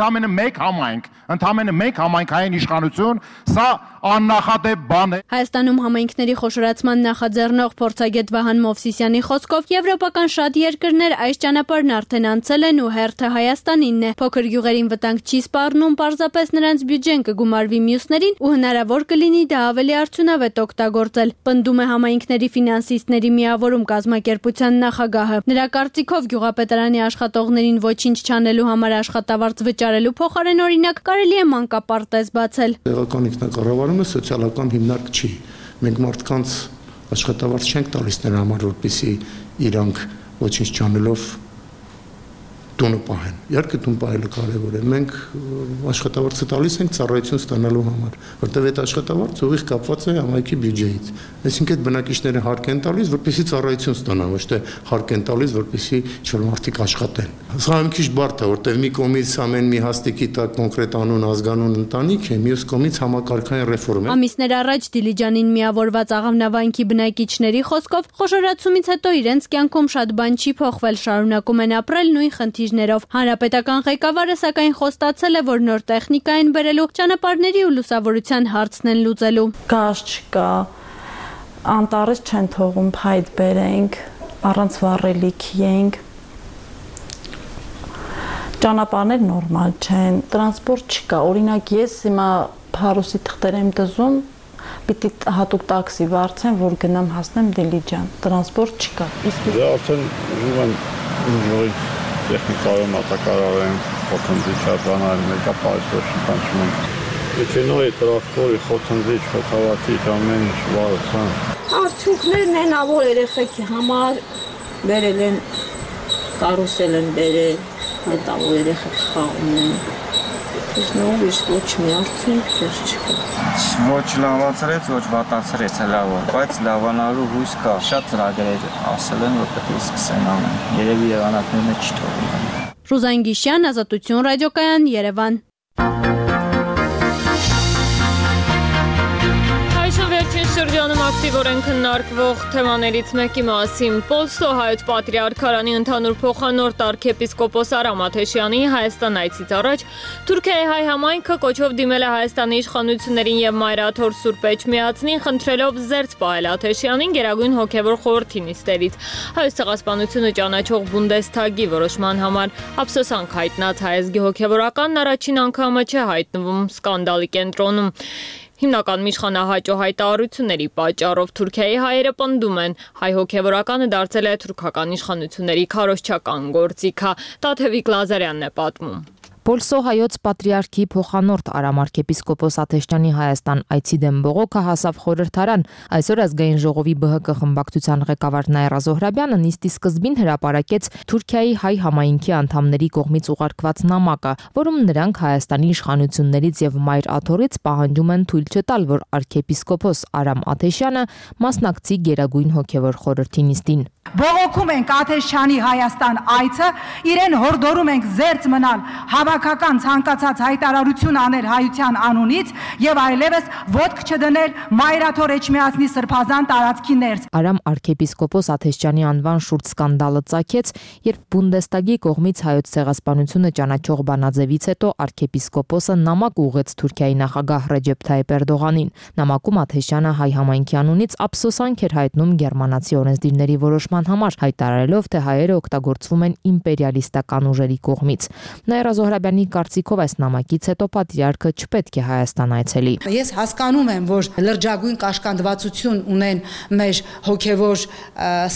ընդամենը մեկ համայնքային իշխանություն, սա աննախադեպ բան է։
Հայաստանում համայնքների խոշորացման նախաձեռնող փորձագետ Վահան Մովսիսյանի խոսքով եվրոպական շատ երկրներ այս ճանապարհն արդեն անցել են ու հերթը Հայաստանինն է։ Փոքր գյուղերին վտանգ չի սպառնում, պարզապես նրանց բյուջեն կգումարվի մյուսներին ու հնարավոր կլինի դա ավելի արդյունավետ օգտագործել։ Պնդում է համայնքների ֆինանսիստների միավորում կազմակերպության նախագահը։ Նրա կարծիքով գյուղապետարանի աշխատողներին ոչինչ չանելու համար աշխատավարձ վճարելու փոխարեն օրինակ կարելի է մանկապարտեզ բացել։
Տեղական ինքնակառավարումը սոցիալական հիմնարկ չի։ Մենք մարդկանց աշխատավարձ չենք տալիս նրա համար, որպեսզի իրանք ոչինչ չանելով տունը պահեն։ Իհարկե տուն պահելը կարևոր է։ Մենք աշխատավարձը տալիս ենք ծառայություն ստանալու համար, որտեղ այդ աշխատավարձը ուղիղ կապված է համայնքի բյուջեից։ Այսինքն այդ բնակիչները հարկ են տալիս, որպեսզի ծառայություն ստանան, ոչ թե հարկ են տալիս, որպեսզի ինչ-որ մարդիկ աշխատեն։ Սա մի քիչ բարդ է, որտեղ մի կողմից ամեն մի հաստիկի տակ կոնկրետ անուն, ազգանուն ընտանիք է, մյուս կողմից համակարգային ռեֆորմ է։
Ամիսներ առաջ Դիլիջանին միավորված Աղավնավանքի բնակիչների խոսքով խոշորացումից հետո իրենց կյանքում շատ բան չի փոխվել, շարունակում են ապրել նույն խնդիրներով։ Հանրապետական ղեկավարը սակայն խոստացել է, որ նոր տեխնիկա են բերելու, ճանապարհների ու լուսավորության հարցն են լուծելու։
Գազ չկա, անտառից չեն թողում փայտ բերենք, առանց վառելիքի ենք։ Ճանապարհներ նորմալ չեն, տրանսպորտ չկա։ Օրինակ ես հիմա Փարոսի թղթեր եմ դզում, պիտի հատուկ տաքսի վարձեմ, որ գնամ հասնեմ Դիլիջան։ Տրանսպորտ չկա։ Իսկ
դե արդեն ուզում են ուժի տեխնիկայով մատակարարեն, խոթնդիչ արձանալ, մեկա պայսոր շնչում են։ Մեքենայի, տրակտորի, խոթնդիչ, խոթավաթի ամեն ինչ վարության։
Արդյունքներն են ավոր երեխեքի համար բերել են, կարուսել են բերել, այդ ավոր երեխեք խաղում են։ Իսկ նոր իսկ ոչ մի արդյունք դեռ չկա։
Ոչ լավացրեց, ոչ վատացրեց լավը, բայց լավանալու հույս կա։ Շատ ծրագրեր ասել են, որ պետք է սկսեն անել։ Երևի եղանակներն չթողնեն։
Ռուզան Գիշյան, Ազատություն ռադիոկայան, Երևան։
Վերջին շրջանում ակտիվորեն քննարկվող թեմաներից մեկի մասին Պոլսո հայոց պատրիարքարանի ընդհանուր փոխանորդ arczepiskopos Aram Ateşyani Հայաստան այցից առաջ Թուրքիայի հայ համայնքը կոչով դիմել է Հայաստանի իշխանություններին եւ Մայրաթոր Սուրբ Էջմիածնին, խնդրելով զերծ պահել Աթեշյանին Գերագույն հոգեվոր խորհրդի նիստերից։ Հայոց ցեղասպանությունը ճանաչող Բունդեսթագի որոշման համար ափսոսանք հայտնած հայազգի հոգեվորականն առաջին անգամը չէ հայտնվում սկանդալի կենտրոնում։ Հիմնական միջխանահաճո հայտարարությունների պատճառով Թուրքիայի հայերը պնդում են, հայ հոգևորականը դարձել է թուրքական իշխանությունների քարոզչական գործիք։ Տաթևիկ Լազարյանն է պատմում։
Պոլսո հայոց պատրիարքի փոխանորդ Արամ arczepiskopos Ateşyani Հայաստան այցի դեմ բողոքը հասավ խորհրդարան։ Այսօր ազգային ժողովի ԲՀԿ խմբակցության ղեկավար Նաիրա Զոհրաբյանը նիստի սկզբին հրապարակեց Թուրքիայի հայ համայնքի անդամների կողմից ուղարկված նամակը, որում նրանք Հայաստանի իշխանություններից եւ Մայր Աթորից պահանջում են թույլ չտալ, որ arczepiskopos Արամ Աթեշյանը մասնակցի Գերագույն հոգևոր խորհրդի նիստին։
Բողոքում ենք Աթեշյանի Հայաստան այցը, իրեն հորդորում ենք զերծ մնալ
քաղաքական ցանկացած հայտարարություն անել հայության անունից եւ այլևս ոտք չդնել Մայրաթոր Էջմիածնի սրբազան տարածքի ներս։
Արամ arczepiskopos Աթեշյանի անվան շուրջ սկանդալը ծագեց, երբ Բունդեստագի կողմից հայոց ցեղասպանությունը ճանաչող բանաձևից հետո arczepiskoposը նամակ ուղղեց Թուրքիայի նախագահ Ռեջեփ Թայիփ Էրդողանին։ Նամակում Աթեշյանը հայ համայնքի անունից ափսոսանք էր հայտնում գերմանացի օրենսդիրների որոշման համար, հայտարարելով, թե հայերը օգտագործվում են իմպերիալիստական ուժերի կողմից։ Նաիրա Զոհրաբյանի կարծիքով այս նամակից հետո պատրիարքը չպետք է Հայաստան այցելի։
Ես հասկանում եմ, որ լրջագույն կաշկանդվածություն ունեն մեր հոգևոր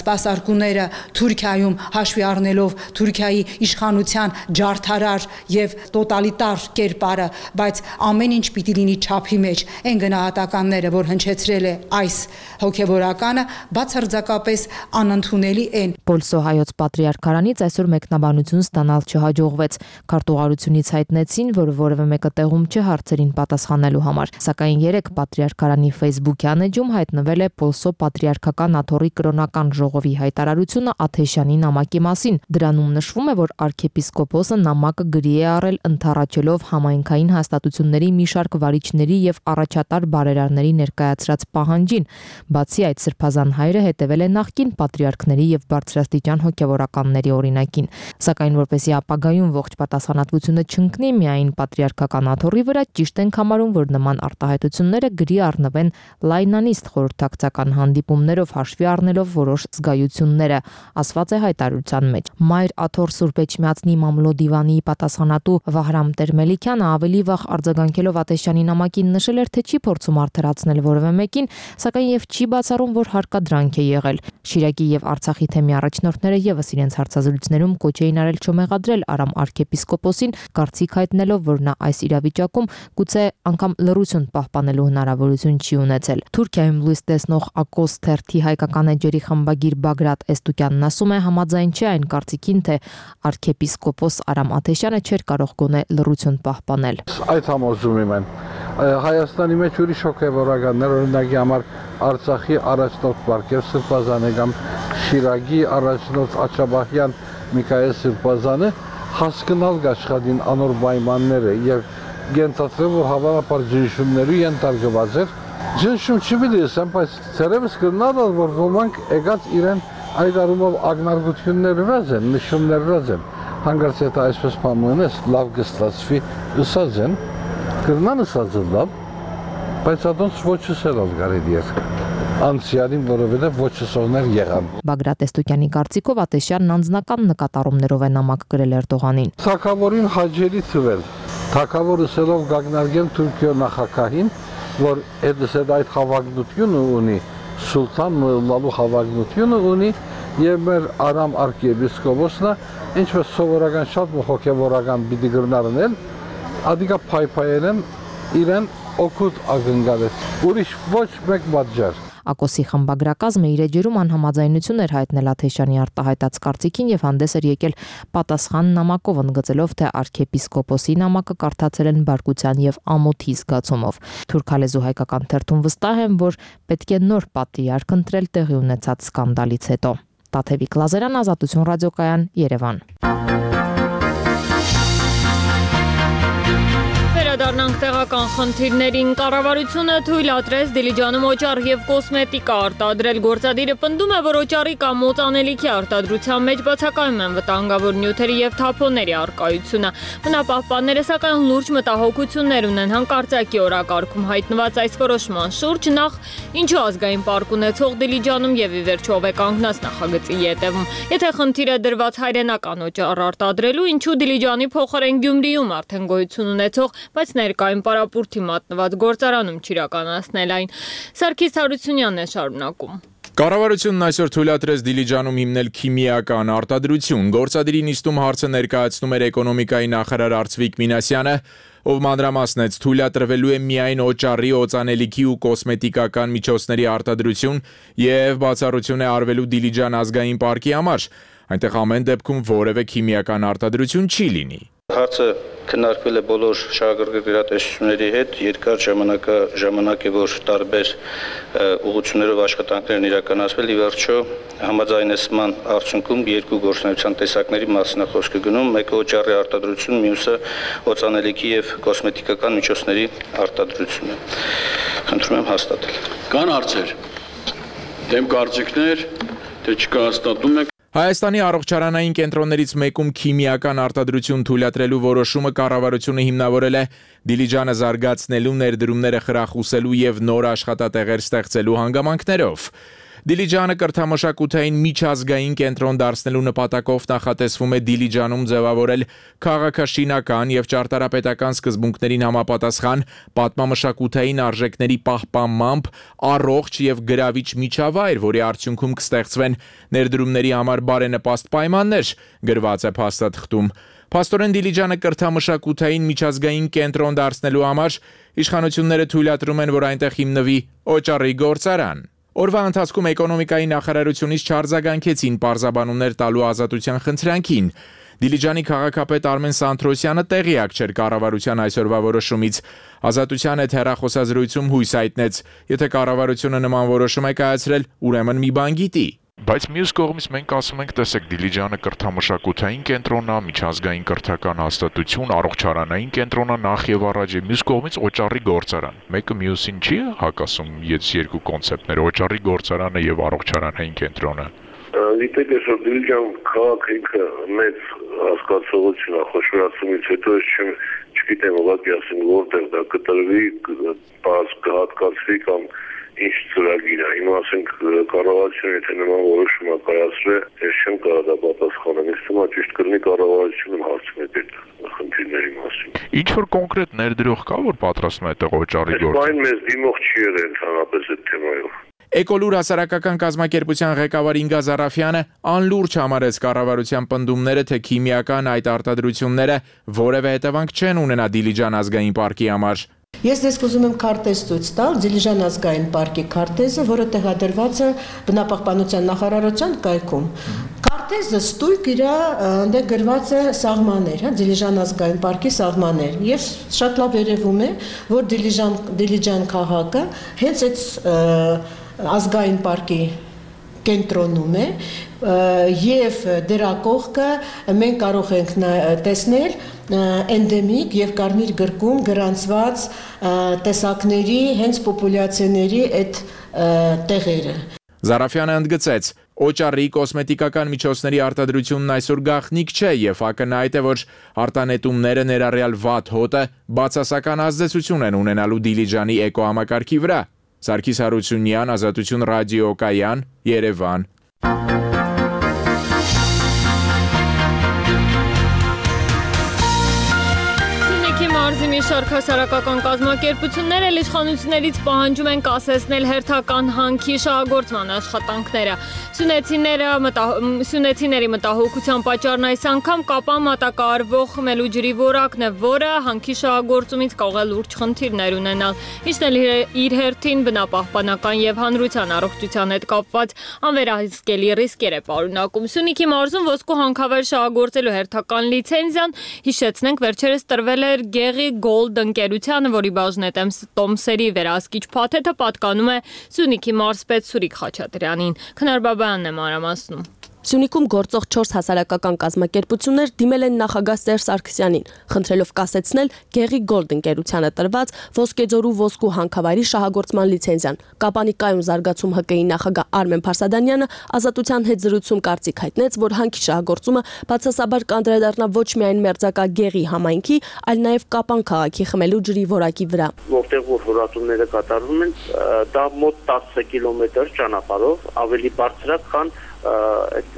սպասարկուները Թուրքիայում, հաշվի առնելով Թուրքիայի իշխանության ջարդարար եւ տոտալիտար կերպարը, բայց ամեն ինչ պիտի լինի չափի մեջ։ Այն գնահատականները, որ հնչեցրել է այս հոգևորականը, բացարձակապես անընդունելի են։
Պոլսո հայոց պատրիարքարանից այսօր մեկնաբանություն ստանալ չհաջողվեց։ Քարտուղարությունից հայտնեցին, որ որևէ մեկը տեղում չէ հարցերին պատասխանելու համար, սակայն երեք պատրիարքարանի Facebook-յան էջում հայտնվել է Պոլսո պատրիարքական աթոռի կրոնական ժողովի հայտարարությունը Աթեշյանի նամակի մասին։ Դրանում նշվում է, որ arczepiskopos-ը նամակը գրի է առել ընդառաջելով համայնքային հաստատությունների մի շարք վարիչների եւ առաջատար բարերարների ներկայացրած պահանջին։ Բացի այդ, սրբազան հայրը հետևել է նախկին պատրիարքների եւ բարձրաստիճան հոգեվորականների օրինակին, սակայն որպեսզի ապագայում ողջ պատասխանատվությունը չընկնի միայն պատրիարքական աթոռի վրա, ճիշտ ենք համարում, որ նման արտահայտությունները գրի առնվեն լայնանիստ խորհրդակցական հանդիպումներով հաշվի առնելով որոշ զգայությունները, ասված է հայտարարության մեջ։ Մայր աթոռ Սուրբ Էջմիածնի մամլոդիվանի պատասխանատու Վահրամ Տերմելիքյանը ավելի վաղ արձագանքելով Աթեշյանի նամակին նշել էր, թե չի փորձում արդարացնել որևէ մեկին, սակայն եւ չի բացառում, որ հարկադրանք է եղել։ Շիրակի եւ Արցախի թեմի առաջնորդները եւս իրենց հարցազրույցներում կոչ էին արել չմեղադրել Արամ arczepiskopos-ին, կարծիք հայտնելով, որ նա այս իրավիճակում գուցե անգամ լռություն պահպանելու հնարավորություն չի ունեցել։ Թուրքիայում լույս տեսնող Ակոս թերթի հայկական էջերի խմբագիր Բագրատ Էստուկյանն ասում է, համաձայն չէ այն կարծիքին, թե arczepiskopos Արամ Աթեշյանը չէր կարող գոնե լռություն պահպանել։
Այդ համոզում եմ։ Հայաստանի մեջ ուրիշ հոգևորականներ, օրինակի համար Արցախի առաջնորդ Պարկև Սրբազանը կամ Շիրակի առաջնորդ Աչաբահյան Միքայել Սրբազանը հասկանալ աշխատին անոր պայմանները եւ գենցածել, որ հավանաբար ջնշումների ենթարկված էր։ Ջնշում չպիտի ասեմ, բայց ցերևս կնալ, որ ոմանք եկած իրեն այդ առումով ագնարկություններ վրազ են, նշումներ վրազ են։ Հանգարց եթե այսպես պայմանես լավ կստացվի, ըսած են, կրնան ըսած լավ, բայց ադոնց ոչ ասել կարելի է։ Անցյալին, որովհետև ոչ ասողներ եղան։
Բագրատ Էստուկյանի կարծիքով Աթեշյանն անձնական նկատառումներով է նամակ գրել Էրդողանին։
Թագավորին հաջելի թվել, թագավորը սելով գագնարգել Թուրքիո նախագահին, որ այդ հավակնությունը ունի, սուլտան մլալու հավակնությունը ունի, եւ մեր Արամ arczepiskopos-ը, ինչպես սովորական շատ հոգեվորական պիտի գրնարնել, ադիկա փայփայել են իրեն օգուտ ակնկալել։ Ուրիշ ոչ մեկ պատճառ։
Ակոսի խմբագրակազմը իր էջերում անհամաձայնություն էր հայտնել Աթեշյանի արտահայտած կարծիքին եւ հանդես էր եկել պատասխան նամակով, ընդգծելով, թե arczepiskopos-ի նամակը կարդացել են բարկության եւ ամոթի զգացումով։ Թուրքալեզու հայկական թերթում վստահ են, որ պետք է նոր պատրիարք ընտրել տեղի ունեցած սկանդալից հետո։ Տաթևիկ Լազարյան, Ազատություն ռադիոկայան, Երևան։
Վերադառնանք տեղական խնդիրներին։ Կառավարությունը թույլատրեց Դիլիջանում օճառ եւ կոսմետիկա արտադրել։ Գործադիրը պնդում է, որ օճառի կամ օծանելիքի արտադրության մեջ բացակայում են վտանգավոր նյութերի եւ թափոնների առկայությունը։ Բնապահպանները սակայն լուրջ մտահոգություններ ունեն հանկարծակի օրակարգում հայտնված այս որոշման շուրջ, նախ ինչու ազգային պարկ ունեցող Դիլիջանում եւ ի վերջո ով է կանգնած նախագծի ետևում։ Եթե խնդիրը դրված հայրենական օճառ արտադրելու, ինչու Դիլիջանի փոխարեն Գյումրիում արդեն գոյություն ունեցող, բայց ներկայում պարապուրտի մատնված գործարանում չիրականացնել այն։ Սարգիս Հարությունյանն է շարունակում։
Կառավարությունն այսօր թույլատրեց Դիլիջանում հիմնել քիմիական արտադրություն։ Գործադիրի նիստում հարցը ներկայացնում էր էկոնոմիկայի նախարար Արծվիկ Մինասյանը, ով մանրամասնեց թույլատրվելու է միայն օճառի, օծանելիքի ու կոսմետիկական միջոցների արտադրություն եւ բացառություն է արվելու Դիլիջան ազգային պարկի համար։ Այնտեղ ամեն դեպքում որևէ քիմիական արտադրություն չի լինի։
Հարցը քննարկվել է բոլոր շահագրգիռ գերատեսչությունների հետ, երկար ժամանակ է, որ տարբեր ուղղություններով աշխատանքներ են իրականացվել, ի վերջո համաձայնեցման արդյունքում երկու գործունեության տեսակների մասին է խոսքը գնում, մեկը օճառի արտադրություն, մյուսը օծանելիքի եւ կոսմետիկական միջոցների արտադրությունը։ Խնդրում եմ հաստատել։
Կան հարցեր, դեմ կարծիքներ, թե չկայացնում եք։
Հայաստանի առողջարանային կենտրոններից մեկում քիմիական արտադրություն թույլատրելու որոշումը կառավարությունը հիմնավորել է Դիլիջանը զարգացնելու, ներդրումները խրախուսելու եւ նոր աշխատատեղեր ստեղծելու հանգամանքներով։ Դիլիջանը կրթամշակութային միջազգային կենտրոն դարձնելու նպատակով նախատեսվում է Դիլիջանում ձևավորել քաղաքաշինական եւ ճարտարապետական սկզբունքներին համապատասխան պատմամշակութային արժեքների պահպանմամբ առողջ եւ գրավիչ միջավայր, որի արդյունքում կստեղծվեն ներդրումների համար բարենպաստ պայմաններ, գրված է փաստաթղթում։ Փաստորեն Դիլիջանը կրթամշակութային միջազգային կենտրոն դարձնելու համար իշխանությունները թույլատրում են, որ այնտեղ հիմնվի օճառի գործարան։ Օրվա ընթացքում էկոնոմիկայի նախարարությունից չարձագանքեցին պարզաբանումներ տալու ազատության խնդրանքին։ Դիլիջանի քաղաքապետ Արմեն Սանթրոսյանը տեղյակ չէր կառավարության այսօրվա որոշումից։ Ազատության հետ հեռախոսազրույցում հույս հայտնեց, եթե կառավարությունը նման որոշում է կայացրել, ուրեմն մի բան գիտի։
Բայց մյուս կողմից մենք ասում ենք, տեսեք, Դիլիջանը կրթամշակութային կենտրոնն է, միջազգային կրթական հաստատություն, առողջարանային կենտրոնն է նախ եւ առաջ, մյուս կողմից օճառի գործարան։ Մեկը մյուսին չի հակասում, ես երկու կոնցեպտներ, օճառի գործարանը եւ առողջարանային կենտրոնը։
Գիտեք, այսօր Դիլիջան քաղաքը ինքը մեծ հասկացողություն է, խոշորացումից հետո չգիտեմ, ուղղակի ասեմ, որտեղ դա կտրվի, կհատկացվի կամ ինչ ծրագիր է, հիմա ասենք կառավարությունը եթե նման որոշում կայացրել, ես չեմ կարող դա պատասխանել, ինձ թվում է ճիշտ կլինի կառավարությունը հարցնել այդ խնդիրների մասին։
Ինչ որ կոնկրետ ներդրող կա, որ պատրաստում է այդտեղ օճառի գործ։
Այն մեզ դիմող չի եղել ընդհանրապես այդ թեմայով։
Էկոլուր հասարակական կազմակերպության ղեկավար Ինգա Զարաֆյանը անլուրջ համարեց կառավարության պնդումները, թե քիմիական այդ արտադրությունները որևէ հետևանք չեն ունենա Դիլիջան ազգային պարկի համար։
Ես դες կուզում եմ քարտեզ ցույց տալ Դիլիջան ազգային պարկի քարտեզը, որը տեղադրված է բնապահպանության նախարարության կայքում։ Քարտեզը ստույգ իր այնտեղ գրված է սահմաններ, հա, Դիլիջան ազգային պարկի սահմաններ։ Ես շատ լավ երևում է, որ Դիլիջան քաղաքը հենց այդ ազգային պարկի կենտրոնում է եւ դրա կողքը մենք կարող ենք տեսնել էնդեմիկ եւ կարմիր գրքում գրանցված տեսակների հենց պոպուլյացիաների այդ տեղերը։
Զարաֆյանը ընդգծեց. Օճառի կոսմետիկական միջոցների արտադրությունն այսօր գաղտնիք չէ եւ ակնհայտ է, որ արտանետումները ներառյալ վատ հոտը բացասական ազդեցություն են ունենալու Դիլիջանի էկոհամակարգի վրա։ Սարգիս Հարությունյան, Ազատություն ռադիոկայան, Երևան։
Մարզի մի շարք հասարակական կազմակերպություններ իշխանություններից պահանջում են կասեցնել հերթական հանքի շահագործման աշխատանքները։ Սյունեցիների մտահոգության պատճառն այս անգամ Կապան մատակարարվող խմելու ջրի որակն է, որը հանքի շահագործումից կարող է լուրջ խնդիրներ ունենալ։ Ինչն էլ իր հերթին բնապահպանական եւ հանրության առողջության հետ կապված անվերահսկելի ռիսկեր է պարունակում։ Սյունիքի մարզում ոսկու հանքավայր շահագործելու հերթական լիցենզիան, հիշեցնենք, վերջերս տրվել էր Գեղի Gold ընկերությանը, որի բաժնետեմ Տոմսերի վերահսկիչ փաթեթը պատկանում է Սյունիքի մարզպետ Սուրիկ Խաչատրյանին։ Քնար Բաբայանն է մանրամասնում։
Սյունիքում գործող 4 հասարակական կազմակերպություններ դիմել են նախագահ Սերժ Սարգսյանին, խնդրելով կասեցնել Գեղի Gold ընկերությանը տրված Ոսկեձորու ոսկու հանքավայրի շահագործման լիցենզիան։ Կապանի կայուն զարգացում ՀԿ-ի նախագահ Արմեն Փարսադանյանը Ազատության հետ զրույցում կարծիք հայտնեց, որ հանքի շահագործումը բացասաբար կանդրադառնա ոչ միայն մերձակա Գեղի համայնքի, այլ նաև Կապան քաղաքի խմելու ջրի որակի վրա։
Որտեղ որ հորատումները կատարվում են, դա մոտ 10 կիլոմետր ճանապարհով ավելի բարձր է, քան այդ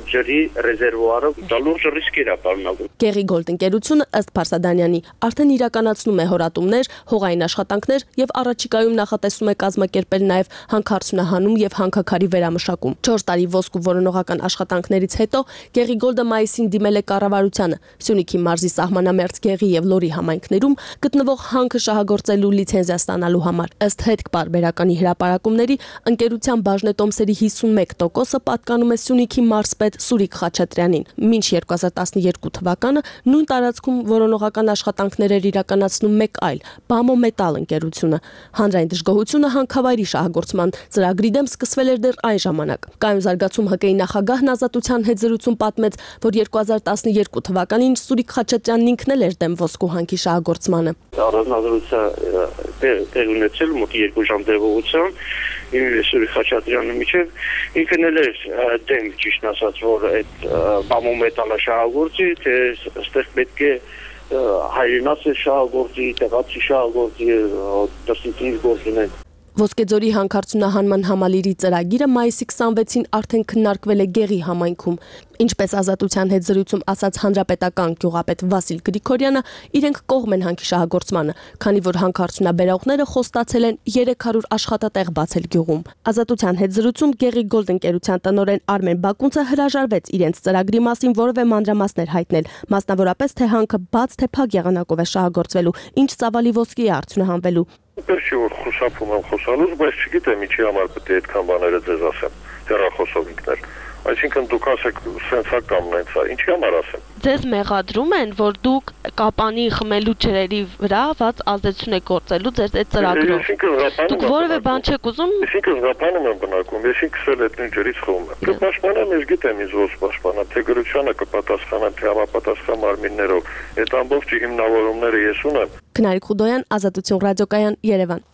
ջրի ռեզերվուարը դա լուրջ ռիսկեր է պարունակում։
Գեղի Gold ընկերությունը ըստ Փարսադանյանի արդեն իրականացնում է հորատումներ, հողային աշխատանքներ եւ առաջիկայում նախատեսում է կազմակերպել նաեւ հանքարդյունահանում եւ հանքաքարի վերամշակում։ 4 տարի ոսկու որոնողական աշխատանքներից հետո Գեղի Gold-ը մայիսին դիմել է կառավարությանը Սյունիքի մարզի սահմանամերձ Գեղի եւ Լորի համայնքներում գտնվող հանքը շահագործելու լիցենզիա ստանալու համար։ Ըստ հետ պարբերականի հրապարակումների ընկերության բաժնետոմսերի 51%-ը պատկանում է Սյունիքի Սյունիքի մարզպետ Սուրիկ Խաչատրյանին։ Մինչ 2012 թվականը նույն տարածքում որոնողական աշխատանքներ էր իրականացնում մեկ այլ Բամո Մետալ ընկերությունը։ Հանրային դժգոհությունը հանքավայրի շահագործման ծրագրի դեմ սկսվել էր դեռ այն ժամանակ։ Կայուն զարգացում ՀԿ-ի նախագահն Ազատության հետ զրույցում պատմեց, որ 2012 թվականին Սուրիկ Խաչատրյանն ինքն էլ էր դեմ ոսկու հանքի շահագործմանը։
Առանձնահատկության տեղ ունեցել մոտ 2 ժամ տևողությամբ Սուրիկ Խաչատրյանը միջև ինքն էլ էր դեմ, ճիշտ ասած, որ այդ Բամո Մետալը շահագործի, թե այստեղ պետք է հայրենաց շահագործի, տեղացի շահագործի, դրսից գործ ունեն։
Ոսկեձորի հանքարդյունահանման համալիրի ծրագիրը մայիսի 26-ին արդեն քննարկվել է Գեղի համայնքում։ Ինչպես Ազատության հետ զրույցում ասաց հանրապետական գյուղապետ Վասիլ Գրիգորյանը, իրենք կողմ են հանքի շահագործմանը, քանի որ հանքարդյունաբերողները խոստացել են 300 աշխատատեղ բացել գյուղում։ Ազատության հետ զրույցում Գեղի Գոլդ ընկերության տնօրեն Արմեն Բակունցը հրաժարվեց իրենց ծրագրի մասին որևէ մանրամասներ հայտնել, մասնավորապես թե հանքը բաց թե փակ եղանակով է շահագործվելու, ինչ ծավալի ոսկի է արդյունահանվելու։
Ինչի որ խուսափում եմ խոսալուց, բայց չգիտեմ ինչի համար պետք է այդքան բաները ձեզ ասեմ, հեռախոսով ինքնել։ Այսինքն դուք ասեք սենցա կամ նենցա, ինչի համար ասեմ։
Ձեզ մեղադրում են, որ դուք կապանի խմելու ջրերի վրա վատ ազդեցություն եք գործելու ձեր այդ ծրագրով։ Դուք որևէ բան չեք ուզում։
Այսինքն զապանում եմ բնակում, ես ինքս էլ այդ նույն ջրից խմում եմ։ Կպաշտպանեմ, ես գիտեմ ինձ ոնց պաշտպանեմ, թե գրությանը կպատասխանեմ, թե համապատասխան մարմիններով։ Այդ ամբողջ հիմնավորումները ես ունեմ։
Քնարիկ Խուդոյան, Ազատություն ռադիոկայան, Երևան։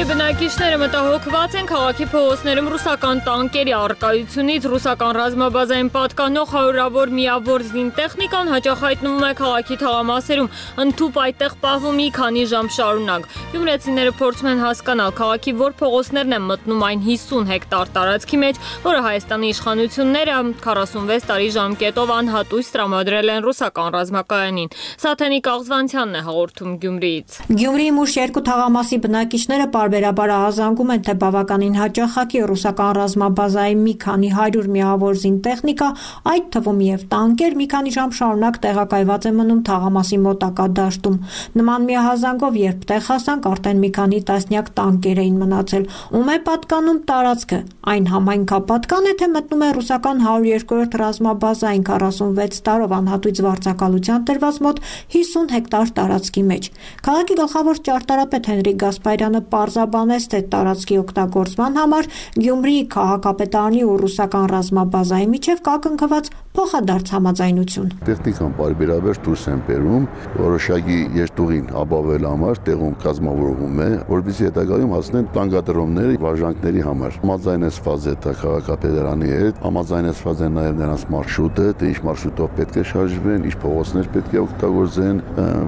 Բնակիչները մտահոգված են քաղաքի փողոցներում ռուսական տանկերի առկայությունից, ռուսական ռազմաբազային պատկանող հարյուրավոր միավոր զինտեխնիկան հաճախ հայտնվում է քաղաքի թաղամասերում, ընդհուպ այդտեղ պահվում մի քանի ժամ շարունակ։ Գյումրեցիները փորձում են հասկանալ քաղաքի որ փողոցներն են մտնում այն 50 հեկտար տարածքի մեջ, որը Հայաստանի իշխանությունները 46 տարի ժամկետով անհատույց տրամադրել են ռուսական ռազմակայանին։ Սաթենիկ Աղզվանցյանն է հաղորդում Գյումրիից։
Գյումրիի մուշ 2 թաղամասի բնակիչները պարբերաբար ահազանգում են, թե բավականին հաճախակի ռուսական ռազմաբազայի մի քանի 100 միավոր զինտեխնիկա, այդ թվում եւ տանկեր մի քանի ժամ շարունակ տեղակայված է մնում թաղամասի մոտակա դաշտում։ Նման մի ահազանգով երբ տեղ հասանք, արդեն մի քանի տասնյակ տանկեր էին մնացել։ Ում է պատկանում տարածքը։ Այն համայնքապատկան է, թե մտնում է ռուսական 102-րդ ռազմաբազային 46 տարով անհատույց վարձակալության տրված մոտ 50 հեկտար տարածքի մեջ։ Քաղաքի գլխավոր ճարտարապետ Հենրիկ Գասպարյանը պարզաբանեց, թե տարածքի օգտագործման համար Գյումրիի քաղաքապետարանի ու ռուսական ռազմաբազայի միջև կա կնքված փոխադարձ համաձայնություն։
Տեխնիկան բարբերաբար դուրս են բերում, որոշակի երթուղին ապահովել համար տեղում կազմավորվում է, որպեսզի հետագայում հասնեն տանկադրողների վարժանքների համար։ Համաձայնեցված է քաղաքապետարանի հետ, համաձայնեցված է նաև նրանց մարշրուտը, թե ինչ մարշրուտով պետք է շարժվեն, ինչ փողոցներ պետք է օգտագործեն,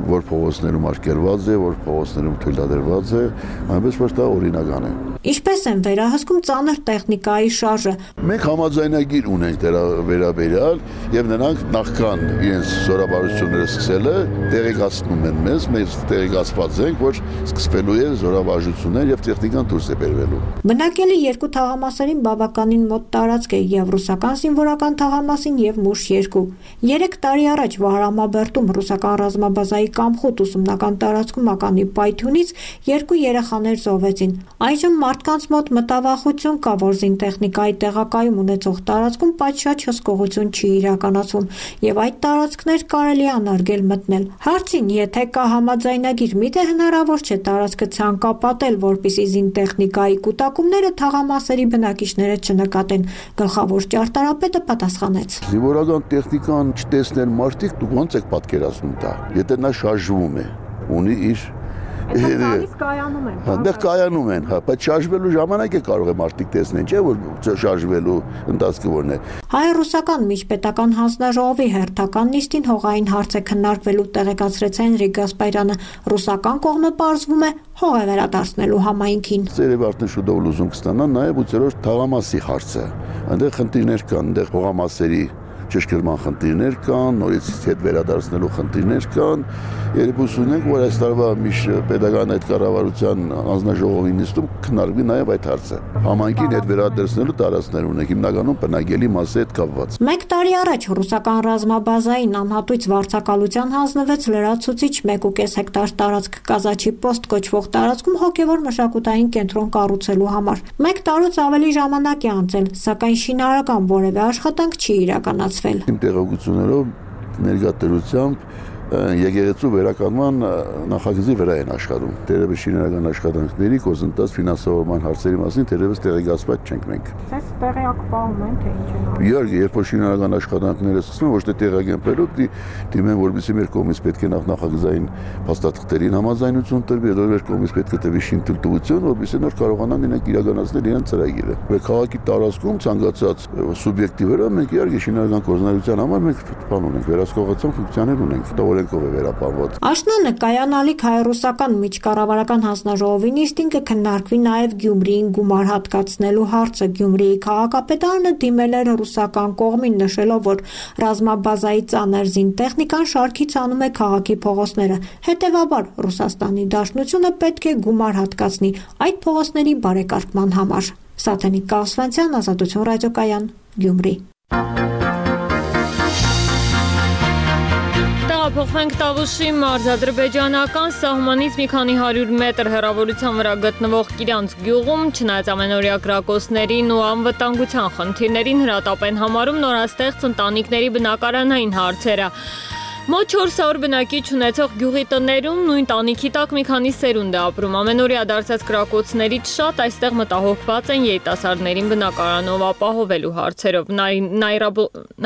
որ փողոցներում արգելված է, որ փողոցներում թույլատրված է, այնպես որ դա օրինական է։
Ինչպես են վերահսկում ծանր տեխնիկայի շարժը։
Մենք համաձայնագիր ունենք դրա վերաբերյալ եւ նրանք նախքան իրենց զորավարժությունները սկսելը տեղեկացնում են մեզ տեղեկացված ենք, որ սկսվելու է զորավարժություններ եւ տեխնիկան դուրս է բերվելու։
Բնակելի երկու թաղամասերին բավականին մոտ տարածք է եւ ռուսական զինվորական թաղամասին եւ Մուշ 2։ 3 տարի առաջ Վահրամաբերդում ռուսական ռազմաբազայի Կամխոտ ուսումնական տարածքում ականի պայթյունից 2 երեխաներ զոհվեցին։ Այժմ մարդկանց մոտ մտավախություն կա, որ զինտեխնիկայի տեղակայում ունեցող տարածքում պատշաճ հսկողություն չի իրականացվում եւ այդ տարածքներ կարելի է անարգել մտնել։ Հարցին, եթե կա համաձայնագիր, միթե հնարավոր չէ տարածքը ցանկապատել, որպիսի զինտեխնիկայի կուտակումները թաղամասերի բնակիչները չնկատեն։ Գլխավոր ճարտարապետը պատասխանեց.
Զինվորական տեխնիկան չտեսնեն մարդիկ, դուք ոնց եք պատկերացնում դա։ Եթե նա շարժվում է, ունի իր Հանդեղ կայանում են, բայց շարժվելու ժամանակ է կարող է մարդիկ տեսնեն, չէ՞ որ շարժվելու ընթացքը որն է։
Հայ-ռուսական միջպետական հանձնաժողովի հերթական նիստին հողային հարց է քննարկվելու, տեղեկացրեց Հենրիկ Գասպարյանը։ Ռուսական կողմը պարզվում է հող է վերադարձնելու համայնքին։
Ծերև արդեն շուտով լուզում կստանան նաև 8-րդ թաղամասի հարցը։ Այնտեղ խնդիրներ կան, այնտեղ հողամասերի ճշգրտման խնդիրներ կան, նորից հետ վերադարձնելու խնդիրներ կան։ Երբ ունենք, որ այս տարվա պետական այդ կառավարության անձնաժողովի նիստում քննարկվի նաև այդ հարցը։ Համայնքին հետ վերադարձնելու տարածքներ ունենք, հիմնականում բնակելի մասի հետ կապված։
1 տարի առաջ ռուսական ռազմաբազային անհատույց վարձակալության հանձնվեց լրացուցիչ 1.5 հեկտար տարածք Կազաչի պոստ կոչվող տարածքում հոգևոր մշակութային կենտրոն կառուցելու համար։ 1 տարուց ավելի ժամանակ է անցել, սակայն շինարարական որևէ աշխատանք չի իրականացվել։
Իմ տեղեկություններով ներկայացությամբ եկեղեցու վերականգնման նախագծի վրա են աշխատում։ Դերևս շինարարական աշխատանքների գործընթաց ֆինանսավորման հարցերի մասին դերևս տեղեկացված չենք մենք։
Ձեզ տեղյակ պահում են թե ինչ են։
Իհարկե, երբ որ շինարարական աշխատանքները սկսվում, ոչ թե տեղակայելու դիմեն, որպեսզի մեր կողմից պետք է նախագծային փաստաթղթերին համաձայնություն տրվի, հետո մեր կողմից պետք է տրվի շինթույլտվություն, որպեսզի նոր կարողանան իրենք իրականացնել իրենց ծրագիրը։ Մեր քաղաքի տարածքում ցանկացած սուբյեկտի վրա մենք իհարկե շինարարական գործունեության համար մենք բան ունենք, վերահսկողական ֆունկցիաներ ունենք։
Աշնանը կայանալիք հայ-ռուսական միջկառավարական հանձնաժողովի նիստին կքննարկվի նաև Գյումրիին գումար հատկացնելու հարցը։ Գյումրիի քաղաքապետարանը դիմել էր ռուսական կողմին, նշելով, որ ռազմաբազայի ծանր զինտեխնիկան շարքից անում է քաղաքի փողոցները։ Հետևաբար Ռուսաստանի Դաշնությունը պետք է գումար հատկացնի այդ փողոցների բարեկարգման համար։ Սաթենիկ Կասվանցյան, Ազատություն ռադիոկայան, Գյումրի։
Փոխվենք Տավուշի մարզադրբեջանական սահմանից մի քանի 100 մետր հեռավորության վրա գտնվող Կիրանց գյուղում, չնայած ամենօրյա կրակոցներին ու անվտանգության խնդիրներին, հրատապ են համարում նորաստեղծ ընտանիքների բնակարանային հարցերը։ Մոտ 400 բնակիչ ունեցող գյուղի տներում նույն տանիքի տակ մի քանի սերունդ է ապրում։ Ամենօրյա դարձած կրակոցներից շատ այստեղ մտահոգված են երիտասարդներին բնակարանով ապահովելու հարցերով։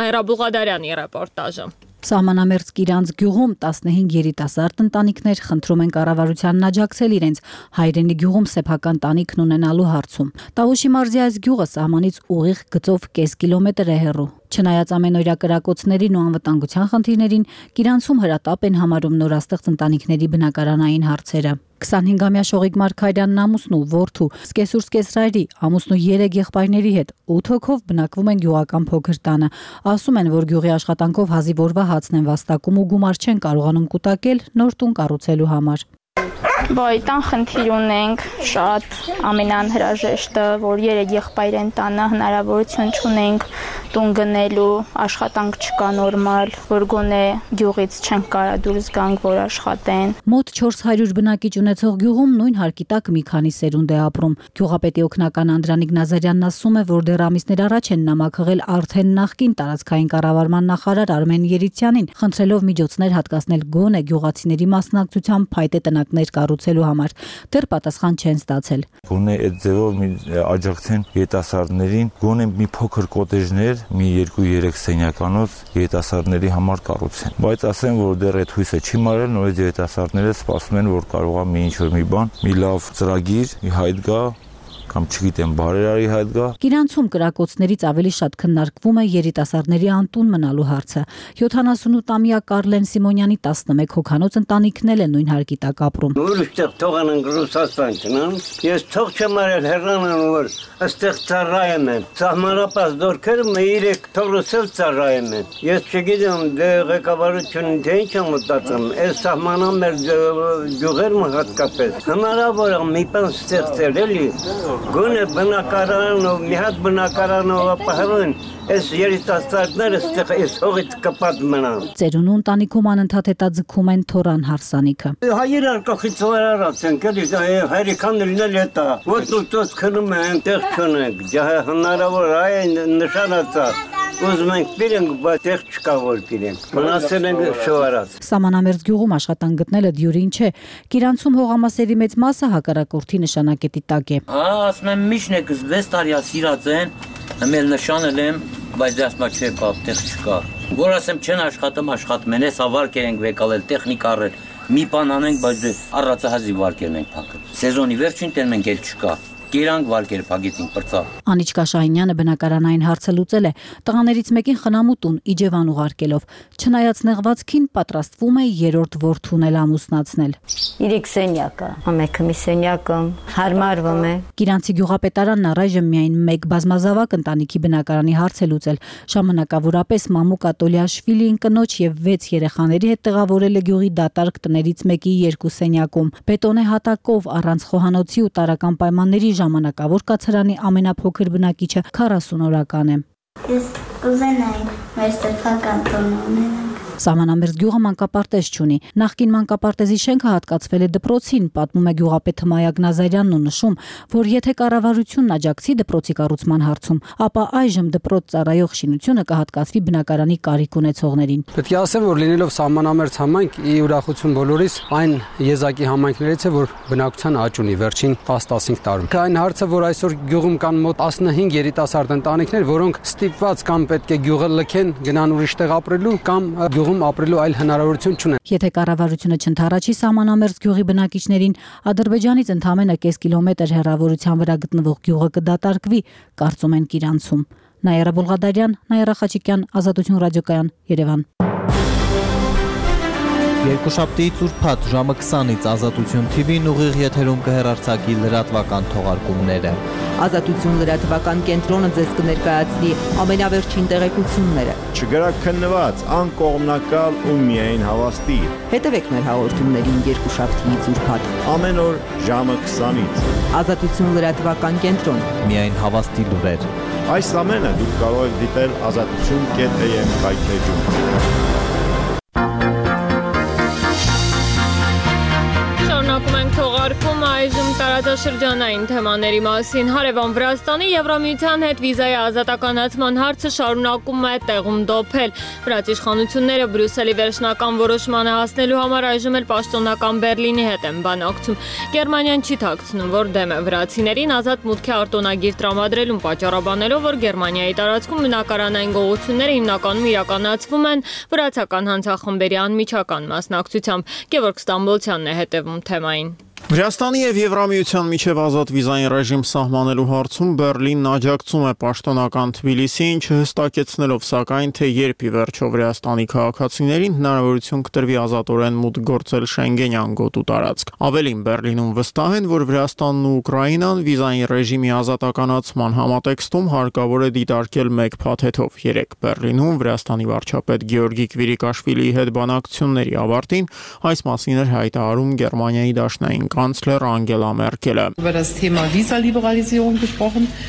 Նայրա Բուղադարյանի ռեպորտաժը։
Սահմանամերձ Կիրանց գյուղում 15 երիտասարդ ընտանիքներ խնդրում են կառավարությանն աջակցել իրենց հայրենի գյուղում սեփական տանիքն ունենալու հարցում։ Տավուշի մարզի այս գյուղը սահմանից ուղիղ գծով կես կիլոմետր է հեռու։ Չնայած ամենօրյա կրակոցներին ու անվտանգության խնդիրներին, Կիրանցում հրատապ են համարում նորաստեղծ ընտանիքների բնակարանային հարցերը։ 25-ամյա Շողիկ Մարգարյանն ամուսնու, որդու, սկեսուր սկեսրայրի, ամուսնու 3 եղբայրների հետ 8 հոգով բնակվում են գյուղական փոքր տանը։ Ասում են, որ գյուղի աշխատանքով հազիվ օրվա հացն են վաստակում ու գումար չեն կարողանում կուտակել նոր տուն կառուցելու համար։
Բայտան խնդիր ունենք, շատ ամենանհրաժեշտը, որ 3 եղբայր են տանը, հնարավորություն չունենք տուն գնելու, աշխատանք չկա նորմալ, որ գոնե գյուղից չենք կարա դուրս գանք, որ աշխատեն։
Մոտ 400 բնակիչ ունեցող գյուղում նույն հարկի տակ մի քանի սերունդ է ապրում։ Գյուղապետի օգնական Անդրանիկ Նազարյանն ասում է, որ դեռ ամիսներ առաջ են նամակղել արդեն նախկին տարածքային կառավարման նախարար Արմեն Երիցյանին, խնդրելով միջոցներ հատկացնել գոնե գյուղացիների մասնակցությամբ փայտե տնակներ կառուցելու համար։ Դեռ պատասխան չեն ստացել։
Գոնե այդ ձևով աջակցեն երիտասարդներին, գոնե մի փոքր կոտեջներ, մի 2-3 սենյականոց երիտասարդների համար կառուցեն։ Բայց ասեմ, որ դեռ այդ հույսը չի մարել, նորից երիտասարդները սպասում են, որ կարողա մի ինչ-որ մի բան, մի լավ ծրագիր, մի հայտ գա, կամ չգիտեմ, բարերարի հայտ գա։
Կիրանցում կրակոցներից ավելի շատ քննարկվում է երիտասարդների անտուն մնալու հարցը։ 78-ամյա Կարլեն Սիմոնյանի 11 հոգանոց ընտանիքն էլ է նույն հարկի տակ ապրում։
Ուրիշտեղ թողանան Ռուսաստան գնան, ես թող չեմ արել հեռանան, որ այստեղ ծառայեմ են։ Սահմանապահ դորքերը 3 թողրուսել ծառայեմ են։ Ես չգիտեմ, դե ղեկավարությունը թե ինչ է մտածում, այս սահմանամերձ գյուղերում հատկապես։ Հնարավոր է մի բան ստեղծել էլի։ Գոնե բնակարանով, մի հատ բնակարանով ապահովեն, այս երիտասարդները ստեղ այս հողից կպատ մնան։
Ծերունու ընտանիքում անընդհատ հետաձգում են Թորան հարսանիքը։
Հայեր արկախից վարարած են, կելի հայրիկան լինել հետա, ոտնուտոց քնում են, տեղ չունենք, հնարավոր այն նշանացած։ Ուզում ենք պիրենք, բայց տեղ չկա որ պիրենք, մնացել ենք շվարած։
Սահմանամերձ գյուղում աշխատանք գտնելը դյուրին չէ, Կիրանցում հողամասերի մեծ մասը հակառակորդի նշանակետի տակ է։
Ասում եմ միշտ եք 6 տարի ասիրած են, ամել նշանել եմ, բայց դասմա չէ բապ, տեղ չկա։ Որ ասեմ չեն աշխատում, աշխատում են, ես ավարկ ենք վեկալել, տեխնիկ առել, մի բան անենք, բայց առածահազի վարկերն ենք փակել։ Սեզոնի վերջին տեն մենք էլ չկա։ կերանք վարկերփագեցին բրծա։
Անիչկա Շահինյանը բնակարանային հարցը լուծել է, տղաներից մեկին խնամուտուն Իջևան ուղարկելով, չնայած նեղվածքին պատրաստվում է երրորդ որդուն էլ ամուսնացնել։
3 սենյակը, մեկը մի սենյակը հարմարվում է։
Կիրանցի գյուղապետարանն առայժմ միայն մեկ բազմազավակ ընտանիքի բնակարանի հարց է լուծել։ Ժամանակավորապես Մամուկ Ատոլիաշվիլին կնոջ եւ 6 երեխաների հետ տեղավորել է գյուղի դատարկ տներից մեկի 2 սենյակում։ Բետոնե հատակով առանց խոհանոցի ու տարրական պայմանների ժամանակավոր կացարանի ամենափոքր բնակիչը 40 օրական է։
Ես կուզենայի մեր սեփական տոնը ունենալ։
Սահմանամերձ գյուղը մանկապարտեզ չունի։ Նախկին մանկապարտեզի շենքը հատկացվել է դպրոցին, պատմում է գյուղապետ Հմայակ Նազարյանն ու նշում, որ եթե կառավարությունն աջակցի դպրոցի կառուցման հարցում, ապա այժմ դպրոց ծառայող շինությունը կհատկացվի բնակարանի կարիք ունեցողներին։
Պետք է ասեմ, որ լինելով սահմանամերձ համայնք, ի ուրախություն բոլորիս, այն եզակի համայնքներից է, որ բնակության աճ ունի վերջին 10-15 տարում։ Այն հարցը, որ այսօր գյուղում կան մոտ 15 երիտասարդ ընտանիքներ, որոնք ստիպված կամ պետք է գյուղը լքեն, գնան ուրիշ տեղ ապրելու կամ գյուղում ապրելու այլ հնարավորություն չունեն։
Եթե կառավարությունը չընդառաջի սահմանամերձ գյուղի բնակիչներին, Ադրբեջանից ընդամենը կես կիլոմետր հեռավորության վրա գտնվող գյուղը կդատարկվի, կարծում են Կիրանցում։ Նաիրա Բոլղադարյան, Նաիրա Խաչիկյան, Ազատություն ռադիոկայան, Երևան։
Երկուշաբթիից ուրբաթ ժամը 20-ից Ազատություն TV-ն ուղիղ եթերում կհեռարձակի լրատվական թողարկումները։
Ազատություն լրատվական կենտրոնը ձեզ կներկայացնի ամենավերջին տեղեկությունները։
Չգրակ քննված, անկողմնակալ ու միայն հավաստի։
Հետևեք մեր հաղորդումներին երկուշաբթիից ուրբաթ։
Ամեն օր ժամը 20-ից։
Ազատություն լրատվական կենտրոն։
Միայն հավաստի լուրեր։
Այս ամենը դուք կարող եք դիտել azatutun.am կայքեջում։
Թողարկումը այժմ տարածաշրջանային թեմաների մասին։ Հարևան Վրաստանի Եվրամիության հետ վիզայի ազատականացման հարցը շարունակում է տեղում դոփել։ Վրաց իշխանությունները Բրյուսելի վերջնական որոշմանը հասնելու համար այժմ էլ պաշտոնական Բերլինի հետ են բանակցում։ Գերմանիան չի թաքցնում, որ դեմ է վրացիներին ազատ մուտքի արտոնագիր տրամադրելուն, պատճառաբանելով, որ Գերմանիայի տարածքում բնակարանային գողությունները հիմնականում իրականացվում են վրացական հանցախմբերի անմիջական մասնակցությամբ։ Գևորգ Ստամբոլցյանն է հետևում թեմային։
Վրաստանի եւ Եվրամիության միջև ազատ վիզային ռեժիմ սահմանելու հարցում Բերլինն աջակցում է պաշտոնական Թբիլիսիին, չհստակեցնելով սակայն, թե երբ ի վերջո Վրաստանի քաղաքացիներին հնարավորություն կտրվի ազատորեն մուտք գործել Շենգենյան գոտու տարածք։ Ավելին, Բերլինում վստահ են, որ Վրաստանն ու Ուկրաինան վիզային ռեժիմի ազատականացման համատեքստում հարկավոր է դիտարկել մեկ փաթեթով։ Երեկ Բերլինում Վրաստանի վարչապետ Գեորգի Կվիրիկաշվիլիի հետ բանակցությունների ավարտին այս մասին էր հայտարարում Գերմանիայի դաշնային կանցլեր Անգելա Մերկելը։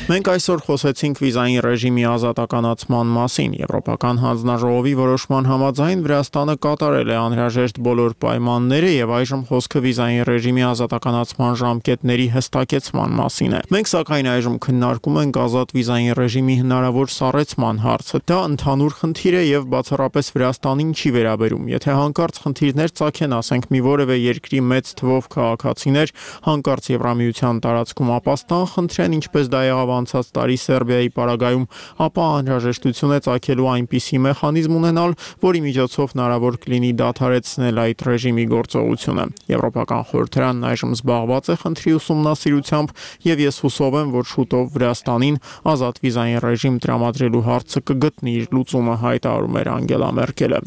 Մենք այսօր խոսեցինք վիզային ռեժիմի ազատականացման մասին։ Եվրոպական հանձնաժողովի որոշման համաձայն Վրաստանը կատարել է անհրաժեշտ բոլոր պայմանները եւ այժմ խոսքը վիզային ռեժիմի ազատականացման ժամկետների հստակեցման մասին է։ Մենք սակայն այժմ քննարկում ենք ազատ վիզային ռեժիմի հնարավոր սառեցման հարցը։ Դա ընդհանուր խնդիր է եւ բացառապես Վրաստանին չի վերաբերում։ Եթե հանկարծ խնդիրներ ծագեն, ասենք մի որևէ երկրի մեծ թվով քաղաքացիներ հանկարծ Եվրամիության տարածքում ապաստան խնդրեն, ինչպես դա եղավ անցած տարի Սերբիայի պարագայում, ապա անհրաժեշտություն է ծագելու այնպիսի մեխանիզմ ունենալ, որի միջոցով հնարավոր կլինի դադարեցնել այդ ռեժիմի գործողությունը։ Եվրոպական խորհրդարանն այժմ զբաղված է խնդրի ուսումնասիրությամբ եւ ես հուսով եմ, որ շուտով Վրաստանին ազատ վիզային ռեժիմ տրամադրելու հարցը կգտնի իր լուծումը, հայտարարում էր Անգելա Մերկելը։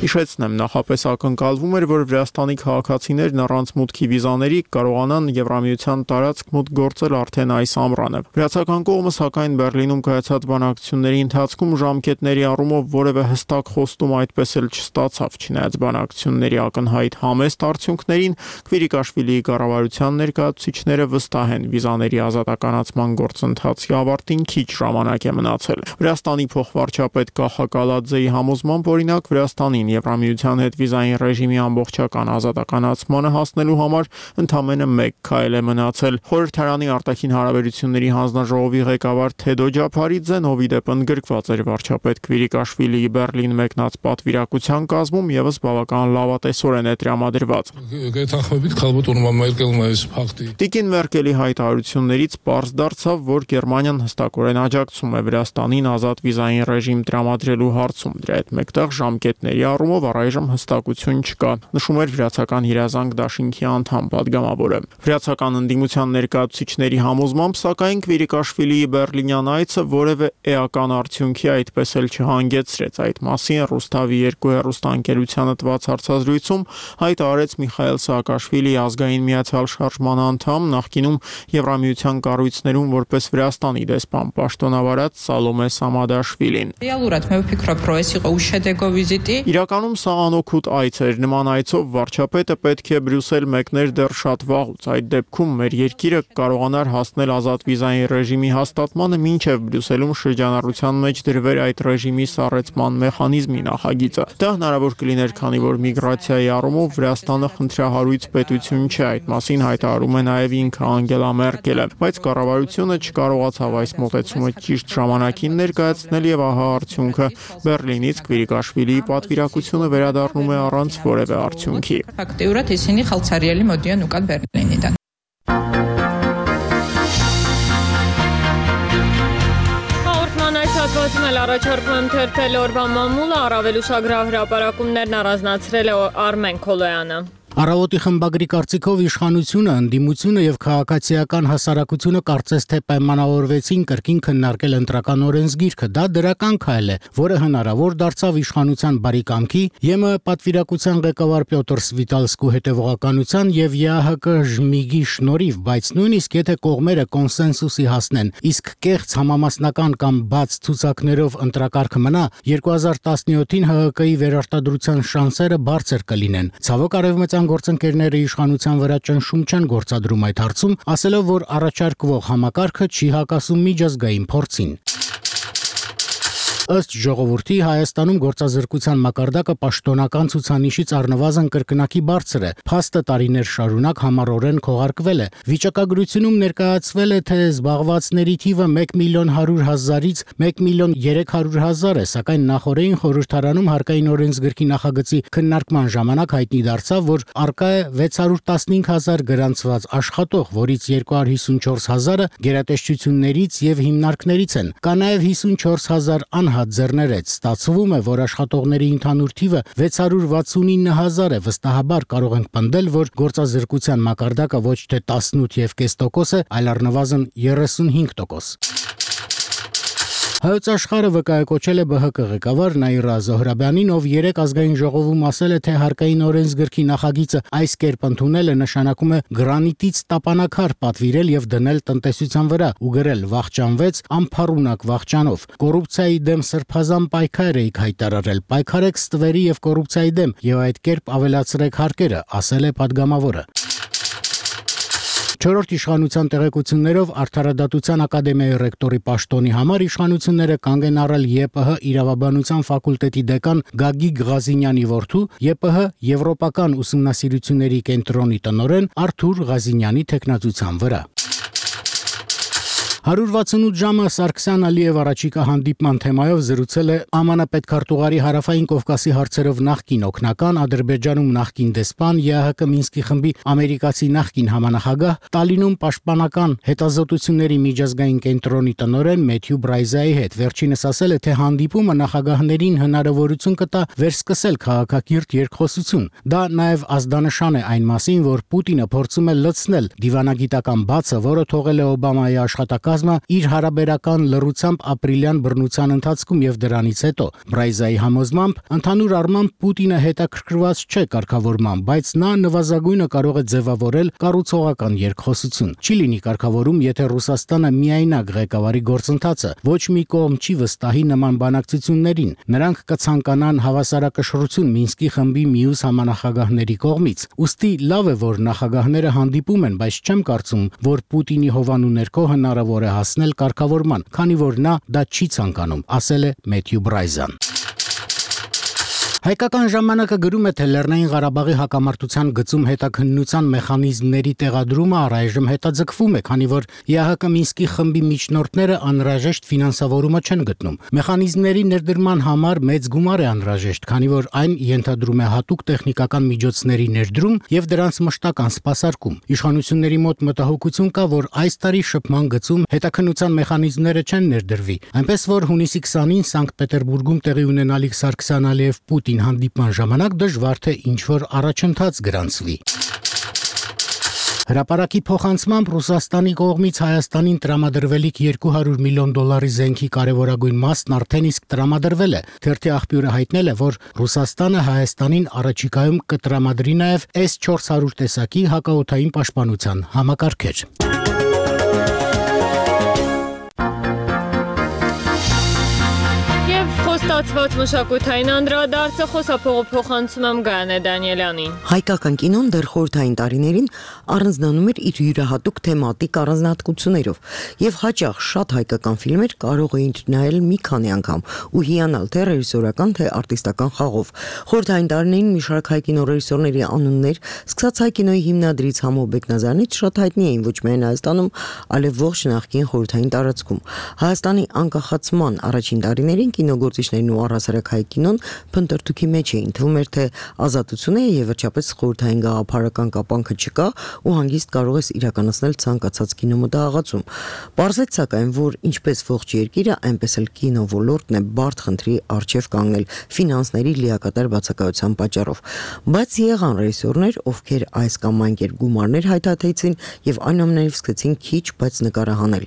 Հիշեցնեմ, նախապես ակնկալվում էր, որ Վրաստանի քաղաքացիներն առանց մուտքի վիզաների կարողանան Եվրամիության տարածք մուտք գործել արդեն այս ամռանը։ Վրացական կողմը սակայն Բերլինում կայացած բանակցությունների ընթացքում ժամկետների առումով որևէ հստակ խոստում այդպես էլ չստացավ, չնայած բանակցությունների ակնհայտ համեստ արդյունքներին, Կվիրիկաշվիլիի կառավարության ներկայացուցիչները վստահ են վիզաների ազատականացման գործընթացի ավարտին քիչ ժամանակ է մնացել։ Վրաստանի փոխվարչապետ Կախա Կալաձեի համոզմամբ, օրինակ, Վրաստանին Եվրամիության հետ վիզային ռեժիմի ամբողջական ազատականացմանը հասնելու համար ընդամենը մեկ քայլ է մնացել։ Խորհրդարանի արտաքին հարաբերությունների հանձնաժողովի ղեկավար Թեդո Ջափարիձեն, ովի դեպ ընդգրկված էր վարչապետ Կվիրիկաշվիլիի Բերլին մեկնած պատվիրակության կազմում, եւս բավական լավատեսորեն է տրամադրված։ Տիկին Մերկելի հայտարարություններից պարզ դարձավ, որ Գերմանիան հստակորեն աջակցում է Վրաստանին ազատ վիզային ռեժիմ տրամադրելու հարցում։ Դրա հետ մեկտեղ ժամկետների առումով առայժմ հստակություն չկա։ Նշում էր վրացական երազանք դաշինքի անդամ պատգամավորը։ Վրացական ընդդիմության ներկայացուցիչների համոզմամբ, սակայն Քվիրիկաշվիլիի բերլինյան այցը որևէ էական արդյունքի այդպես էլ չհանգեցրեց։ Այդ մասին Ռուստավի 2 հեռուստաընկերությանը տված հարցազրույցում հայտ արեց Միխայել Սաակաշվիլիի ազգային միացյալ շարժման անդամ, նախկինում Եվրամիության կառույցներում որպես Վրաստանի դեսպան պաշտոնավարած Սալոմե Սամադաշվիլին։ Իրականում սա անօգուտ այց էր։ Նման այցով վարչապետը պետք է Բրյուսել մեկներ դեռ շատ վաղուց։ Այդ դեպքում մեր երկիրը կարողանար հասնել ազատ վիզային ռեժիմի հաստատմանը, մինչև Բրյուսելում շրջանառության մեջ դրվեր այդ ռեժիմի սառեցման մեխանիզմի նախագիծը։ Դա հնարավոր կլիներ, քանի որ միգրացիայի առումով Վրաստանը խնդրահարույց պետություն չէ։ Այդ մասին հայտարարում է նաև ինքը Անգելա Մերկելը, բայց կառավարությունը չկարողացավ այս մոտեցումը ճիշտ ժամանակին ներկայացնել եւ ահա արդյունքը։ Բերլինից Քվիրիկաշվիլիի պատվիրակությունը վերադառնում է առանց որևէ արդյունքի։
Հաղորդման այս հատվածում էլ առաջարկում թերթել օրվա մամուլը, առավել ուշագրավ հրապարակումներն առանձնացրել է Արմեն Քոլոյանը։
Առավոտի խմբագրի կարծիքով իշխանությունը, ընդդիմությունը եւ քաղաքացիական հասարակությունը կարծես թե պայմանավորվեցին կրկին քննարկել ընտրական օրենսգիրքը։ Դա դրական քայլ է, որը հնարավոր դարձավ իշխանության բարի կամքի, ԵՄ պատվիրակության ղեկավար Պյոտր Սվիտալսկու հետևողականության եւ ԵԱՀԿ ժմիգի շնորհիվ, բայց նույնիսկ եթե կողմերը կոնսենսուսի հասնեն, իսկ կեղծ համամասնական կամ բաց ցուցակներով ընտրակարգը մնա, 2017-ին ՀՀԿ-ի վերարտադրության շանսերը բարձր կլինեն։ Ցավոք արևմտյան գործընկերները իշխանության վրա ճնշում չեն գործադրում այդ հարցում, ասելով, որ առաջարկվող համակարգը չի հակասում միջազգային փորձին։ Ըստ ժողովրդի Հայաստանում գործազրկության մակարդակը պաշտոնական ցուցանիշից առնվազն կրկնակի բարձր է։ Փաստը տարիներ շարունակ համառորեն քողարկվել է։ Վիճակագրությունում ներկայացվել է, թե զբաղվածների թիվը 1.100.000-ից 1.300.000 է, սակայն նախորդին խորհրդարանում հարկային օրենսգրքի նախագծի քննարկման ժամանակ հայտնի դարձավ, որ առկա է 615.000 գրանցված աշխատող, որից 254.000-ը գերատեսչություններից եւ հիմնարկներից են։ Կա նաեւ 54.000 ձեռներեց։ Ստացվում է, որ աշխատողների ընդհանուր թիվը 669.000 է։ Վստահաբար կարող ենք պնդել, որ գործազրկության մակարդակը ոչ թե 18.5% է, այլ առնվազն 35%։ Հայոց աշխարհը վկայակոչել է ԲՀԿ ղեկավար Նաիրա Զոհրաբյանին, ով երեք ազգային ժողովում ասել է, թե հարկային օրենսգրքի նախագիծը այս կերպ ընդունելը նշանակում է գրանիտից տապանակար պատվիրել եւ դնել տնտեսության վրա ու գրել վախճանվեց անփառունակ վախճանով։ Կոռուպցիայի դեմ սրբազան պայքար եք հայտարարել, պայքարեք ստվերի եւ կոռուպցիայի դեմ եւ այդ կերպ ավելացրեք հարկերը, ասել է падգամավորը։ Չորրորդ իշխանության տեղեկություններով Արդարադատության ակադեմիայի ռեկտորի պաշտոնի համար իշխանությունները կանգ են առել ԵՊՀ իրավաբանության ֆակուլտետի դեկան Գագիկ Ղազինյանի որդու, ԵՊՀ Եվրոպական ուսումնասիրությունների կենտրոնի տնօրեն Արթուր Ղազինյանի թեկնածության վրա։ 168 ժամը Սարգսյան Ալիև առաջիկա հանդիպման թեմայով զրուցել է ԱՄՆ պետքարտուղարի Հարավային Կովկասի հարցերով նախկին օգնական, Ադրբեջանում նախկին դեսպան, ԵԱՀԿ Մինսկի խմբի ամերիկացի նախկին համանախագահ, Տալինում պաշտպանական հետազոտությունների միջազգային կենտրոնի տնօրեն Մեթյու Բրայզայի հետ։ Վերջինս ասել է, թե հանդիպումը նախագահներին հնարավորություն կտա վերսկսել քաղաքակիրթ երկխոսություն։ Դա նաև ազդանշան է այն մասին, որ Պուտինը փորձում է լցնել դիվանագիտական բացը, որը թողել է Օբամայի աշխատակազմը իր հարաբերական լռությամբ ապրիլյան բռնության ընթացքում եւ դրանից հետո։ Բրայզայի համոզմամբ ընդհանուր առմամբ Պուտինը հետաքրքրված չէ կարգավորման, բայց նա նվազագույնը կարող է ձևավորել կառուցողական երկխոսություն։ Չի լինի կարգավորում, եթե Ռուսաստանը միայնակ ղեկավարի գործընթացը, ոչ մի կողմ չի վստահի նման բանակցություններին։ Նրանք կցանկանան հավասարակշռություն Մինսկի խմբի մյուս համանախագահների կողմից։ Ուստի լավ է, որ նախագահները հանդիպում են, բայց չեմ կարծում, որ Պուտինի հովանու ներքո հնարավոր է հասնել կարգավորման, քանի որ նա դա չի ցանկանում, ասել է Մեթյու Բրայզան։ Հայկական ժամանակը գրում է, թե Լեռնային Ղարաբաղի հակամարտության գծում հետաքննության մեխանիզմների տեղադրումը առայժմ հետաձգվում է, քանի որ ԵԱՀԿ Մինսկի խմբի միջնորդները անհրաժեշտ ֆինանսավորումը չեն գտնում։ Մեխանիզմների ներդրման համար մեծ գումար է անհրաժեշտ, քանի որ այն ենթադրում է հատուկ տեխնիկական միջոցների ներդրում եւ դրանց մշտական սպասարկում։ Իշխանությունների մոտ մտահոգություն կա, որ այս տարի շփման գծում հետաքննության մեխանիզմները չեն ներդրվի, այնպես որ հունիսի 20-ին Սանկտ Պետերբուրգում տեղի ունենալիք Սարգսյան-Ալիև-Պուտին կողմերկին հանդիպման ժամանակ դժվար թե ինչ-որ առաջընթաց գրանցվի։ Հրապարակի փոխանցմամբ Ռուսաստանի կողմից Հայաստանին տրամադրվելիք $200 միլիոն զենքի կարևորագույն մասն արդեն իսկ տրամադրվել է։ Թերթի աղբյուրը հայտնել է, որ Ռուսաստանը Հայաստանին առաջիկայում կտրամադրի նաև S-400 տեսակի հակաօդային պաշտպանության համակարգեր։
Ստացված մշակութային անդրադարձը խոսափողը փոխանցում եմ Գայանե Դանիելյանին։
Հայկական կինոն դեռ խորհրդային տարիներին առանձնանում էր իր յուրահատուկ թեմատիկ առանձնահատկություններով, եւ հաճախ շատ հայկական ֆիլմեր կարող էին նայել մի քանի անգամ ու հիանալ թե ռեժիսորական, թե արտիստական խաղով։ Խորհրդային տարիներին մի շարք հայ կինոռեժիսորների անուններ, սկսած հայ կինոյի հիմնադրից Համո Բեկնազարյանից շատ հայտնի էին ոչ միայն Հայաստանում, այլև ողջ նախկին խորհրդային տարածքում։ Հայաստանի անկախացման առաջին տարիներին կինոգործիչներն ու առհասարակ հայ կինոն փնտրտուքի մեջ էին, թվում էր թե ազատություն է եւ վերջապես խորհրդային գաղափարական կապանքը չկա ու հանգիստ կարող ես իրականացնել ցանկացած կինոմտահղացում։ Պարզեց սակայն, որ ինչպես ողջ երկիրը, այնպես էլ կինոոլորտն է բարդ խնդրի առջև կանգնել ֆինանսների լիակատար բացակայության պատճառով։ Բայց եղան ռեժիսորներ, ովքեր այս կամ այն կերպ գումարներ հայթաթեցին եւ այնուամենայնիվ սկսեցին քիչ, բայց նկարահանել։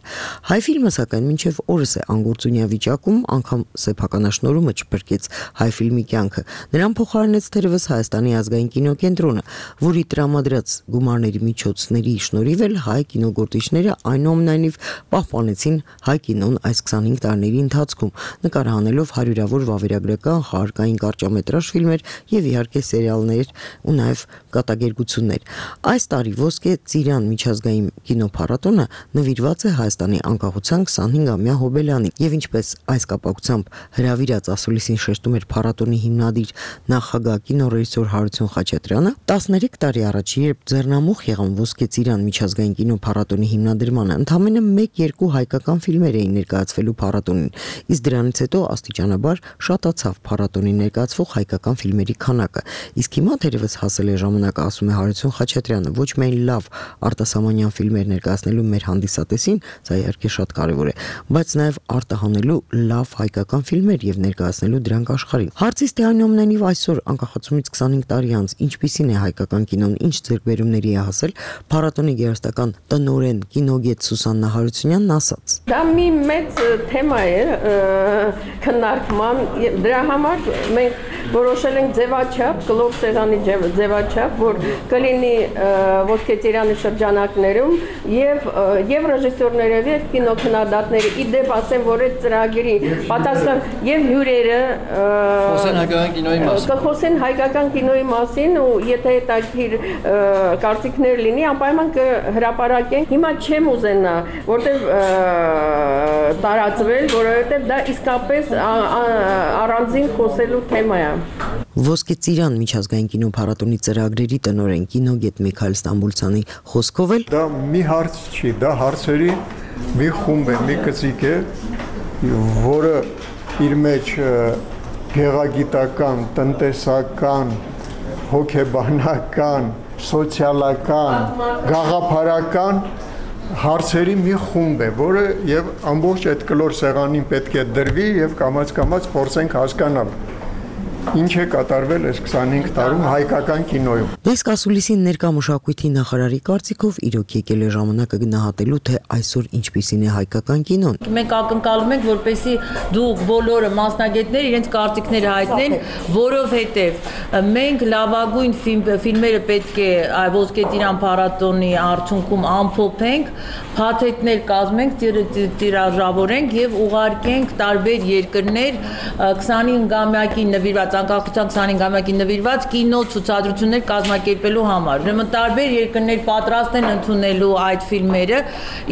Հայ ֆիլմը սակայն մինչեւ օրս է անգործունյա վիճակում, անգամ սեփականաշնորհումը չփրկեց հայ ֆիլմի կյանքը։ Նրան փոխարինեց թերևս Հայաստանի ազգային կինոկենտրոնը, որի տրամադրած գումարների միջոցների շնորհիվ էլ հայ կինոգործիչները այնուամենայնիվ պահպանեցին հայ կինոն այս 25 տարիների ընթացքում, նկարահանելով հարյուրավոր վավերագրական, խաղարկային կարճամետրաժ ֆիլմեր եւ իհարկե սերիալներ ու նաեւ կատակերգություններ։ Այս տարի Ոսկե Ծիրան միջազգային կինոփառատոնը նվիրված է Հայաստանի անկախության 25-ամյա հոբելյանին եւ ինչպես այս կապակցությամբ հրավիրած ասուլիսին շեշտում էր փառատոնի հիմնադիր նախագահ կինոռեժիսոր Հարություն Խաչատրյանը, 13 տարի առաջ, երբ ձեռնամուխ եղան Ոսկե Ծիրան միջազգային կինոփառատոնի հիմնադրմանը, ընդամենը 1-2 հայկական ֆիլմեր էին ներկայացվելու փառատոնին, իսկ դրանից հետո աստիճանաբար շատացավ փառատոնին ներկայացվող հայկական ֆիլմերի քանակը։ Իսկ հիմա թերևս հասել է ժամանակը, ասում է Հարություն Խաչատրյանը, ոչ միայն լավ արտասահմանյան ֆիլմեր ներկայացնելու մեր հանդիսատեսին, սա իհարկե շատ կարևոր է, բայց նաև արտահանելու լավ հայկական ֆիլմեր եւ ներկայացնելու դրանք աշխարհին։ Հարցից թե այնուամենայնիվ այսօր անկախացումից 25 տարի անց ինչպիսին է հայկական կինոն, ինչ ձեռքբերումների է հասել, փառատոնի գերստական տնօրեն կինոգետ Սուսաննա Հարությունյանն ասաց.
Դա մի մեծ թեմա է քննարկման, դրա համար մենք որոշել ենք ձևաչափ, կլոր սեղանի ձևաչափ, որ կլինի Ոսկե Ծիրանի շրջանակներում եւ ռեժիսորները եւ կինոքննադատները իդեպ ասեն, որ այդ ծրագրի պատասխան եւ հյուրերը կխոսեն հայկական կինոյի մասին ու եթե հետաքրքիր կարծիքներ լինի, անպայման կհրապարակենք։ Հիմա չեմ ուզենա, որտեվ տարածվել, որովհետեւ դա իսկապես առանձին խոսելու թեմա է։
Ոսկե Ծիրան միջազգային կինոփառատոնի ծրագրերի տնօրեն կինոգետ Միքայել Ստամբուլցյանի խոսքով էլ
դա մի հարց չի, դա հարցերի մի խումբ է, մի կծիկ է, որը իր մեջ գեղագիտական, տնտեսական, հոգեբանական, սոցիալական, գաղափարական հարցերի մի խումբ է, որը եւ ամբողջ այդ կլոր սեղանին պետք է դրվի եւ կամաց-կամաց փորձենք հասկանալ ինչ է կատարվել այս 25 տարում հայկական կինոյում։
Իսկ ասուլիսին ներկա մշակույթի նախարարի կարծիքով իրոք եկել է ժամանակը գնահատելու, թե այսօր ինչպիսին է հայկական կինոն։
Մենք ակնկալում ենք, որպեսզի դուք բոլորը մասնագետներ իրենց կարծիքները հայտնեն, որովհետև մենք լավագույն ֆիլմերը պետք է Ոսկե Ծիրան փառատոնի արդյունքում ամփոփենք, փաթեթներ կազմենք, տիրաժավորենք եւ ուղարկենք տարբեր երկրներ 25-ամյակի նվիրված անկախության 25-ամյակի նվիրված կինո ցուցադրություններ կազմակերպելու համար։ Ուրեմն տարբեր երկրներ պատրաստ են ընդունելու այդ ֆիլմերը։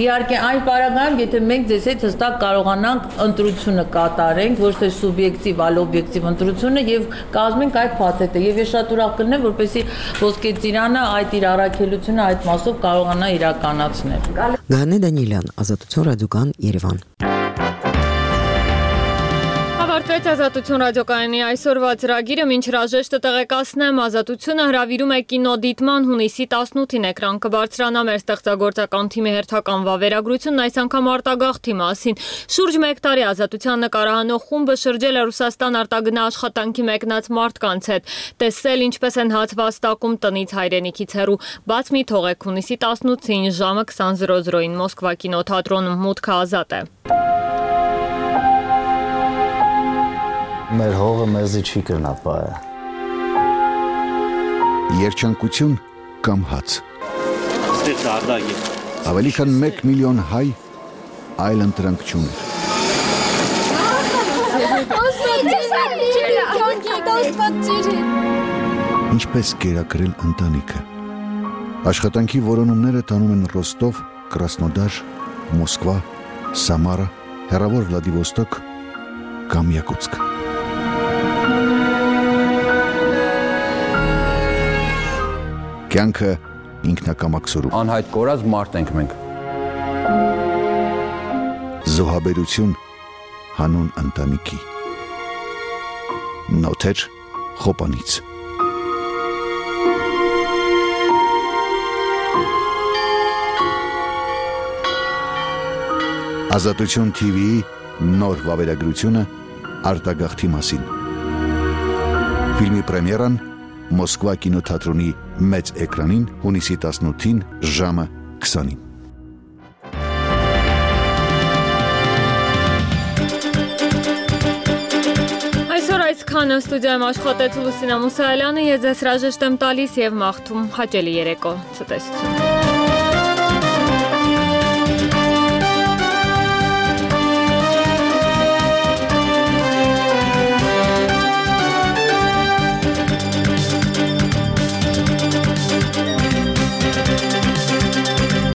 Իհարկե այն պարագայում, եթե մենք ձեզ հետ հստակ կարողանանք ընտրությունը կատարենք, ոչ թե սուբյեկտիվ, այլ օբյեկտիվ ընտրությունը եւ կազմենք այդ փաթեթը։ Եվ ես շատ ուրախ կլինեմ, որպեսզի Ոսկե Ծիրանը այդ իր առաքելությունը այդ մասով կարողանա իրականացնել։
Գայանե Դանիելյան, Ազատություն ռադիոկան, Երևան։
Ավարտվեց Ազատություն ռադիոկայանի այսօրվա ծրագիրը, մինչ հրաժեշտը տեղեկացնեմ, Ազատությունը հրավիրում է կինոդիտման հունիսի 18-ին էկրան կբարձրանա մեր ստեղծագործական թիմի հերթական վավերագրությունն, այս անգամ արտագաղթի մասին։ Շուրջ 1 տարի Ազատության նկարահանող խումբը շրջել է Ռուսաստան արտագնա աշխատանքի մեկնած մարդկանց հետ, տեսել ինչպես են հացված տակում տնից հայրենիքից հեռու։ Բաց մի թողեք, հունիսի 18-ին ժամը 20:00-ին Մոսկվա կինոթատրոնում մուտքը ազատ է։
Մեր հողը մեզի չի կրնա պայը։
Երջանկություն կամ հաց։ Ավելի քան 1 միլիոն հայ այլ ընտրանք չուներ։ Ինչպես կերակրել ընտանիքը։ Աշխատանքի որոնումները տանում են Ռոստով, Կրասնոդար, Մոսկվա, Սամարա, հեռավոր Վլադիվոստոկ կամ Յակուտսկ։ Կյանքը ինքնակամաքսորում։
Անհայտ կորած մարդ ենք մենք։
Զոհաբերություն հանուն ընտանիքի։ Նոթեր Խոպանից։ Ազատություն TV-ի նոր վավերագրությունը արտագաղթի մասին։ Ֆիլմի պրեմիերան Մոսկվա կինոթատրոնի մեծ էկրանին հունիսի 18-ին ժամը 20-ին։
Այսօր այսքանը ստուդիայում աշխատեց Լուսինա Մուսայելյանը, ես ձեզ հրաժեշտ եմ տալիս եւ մաղթում հաճելի երեկո, ցտեսություն։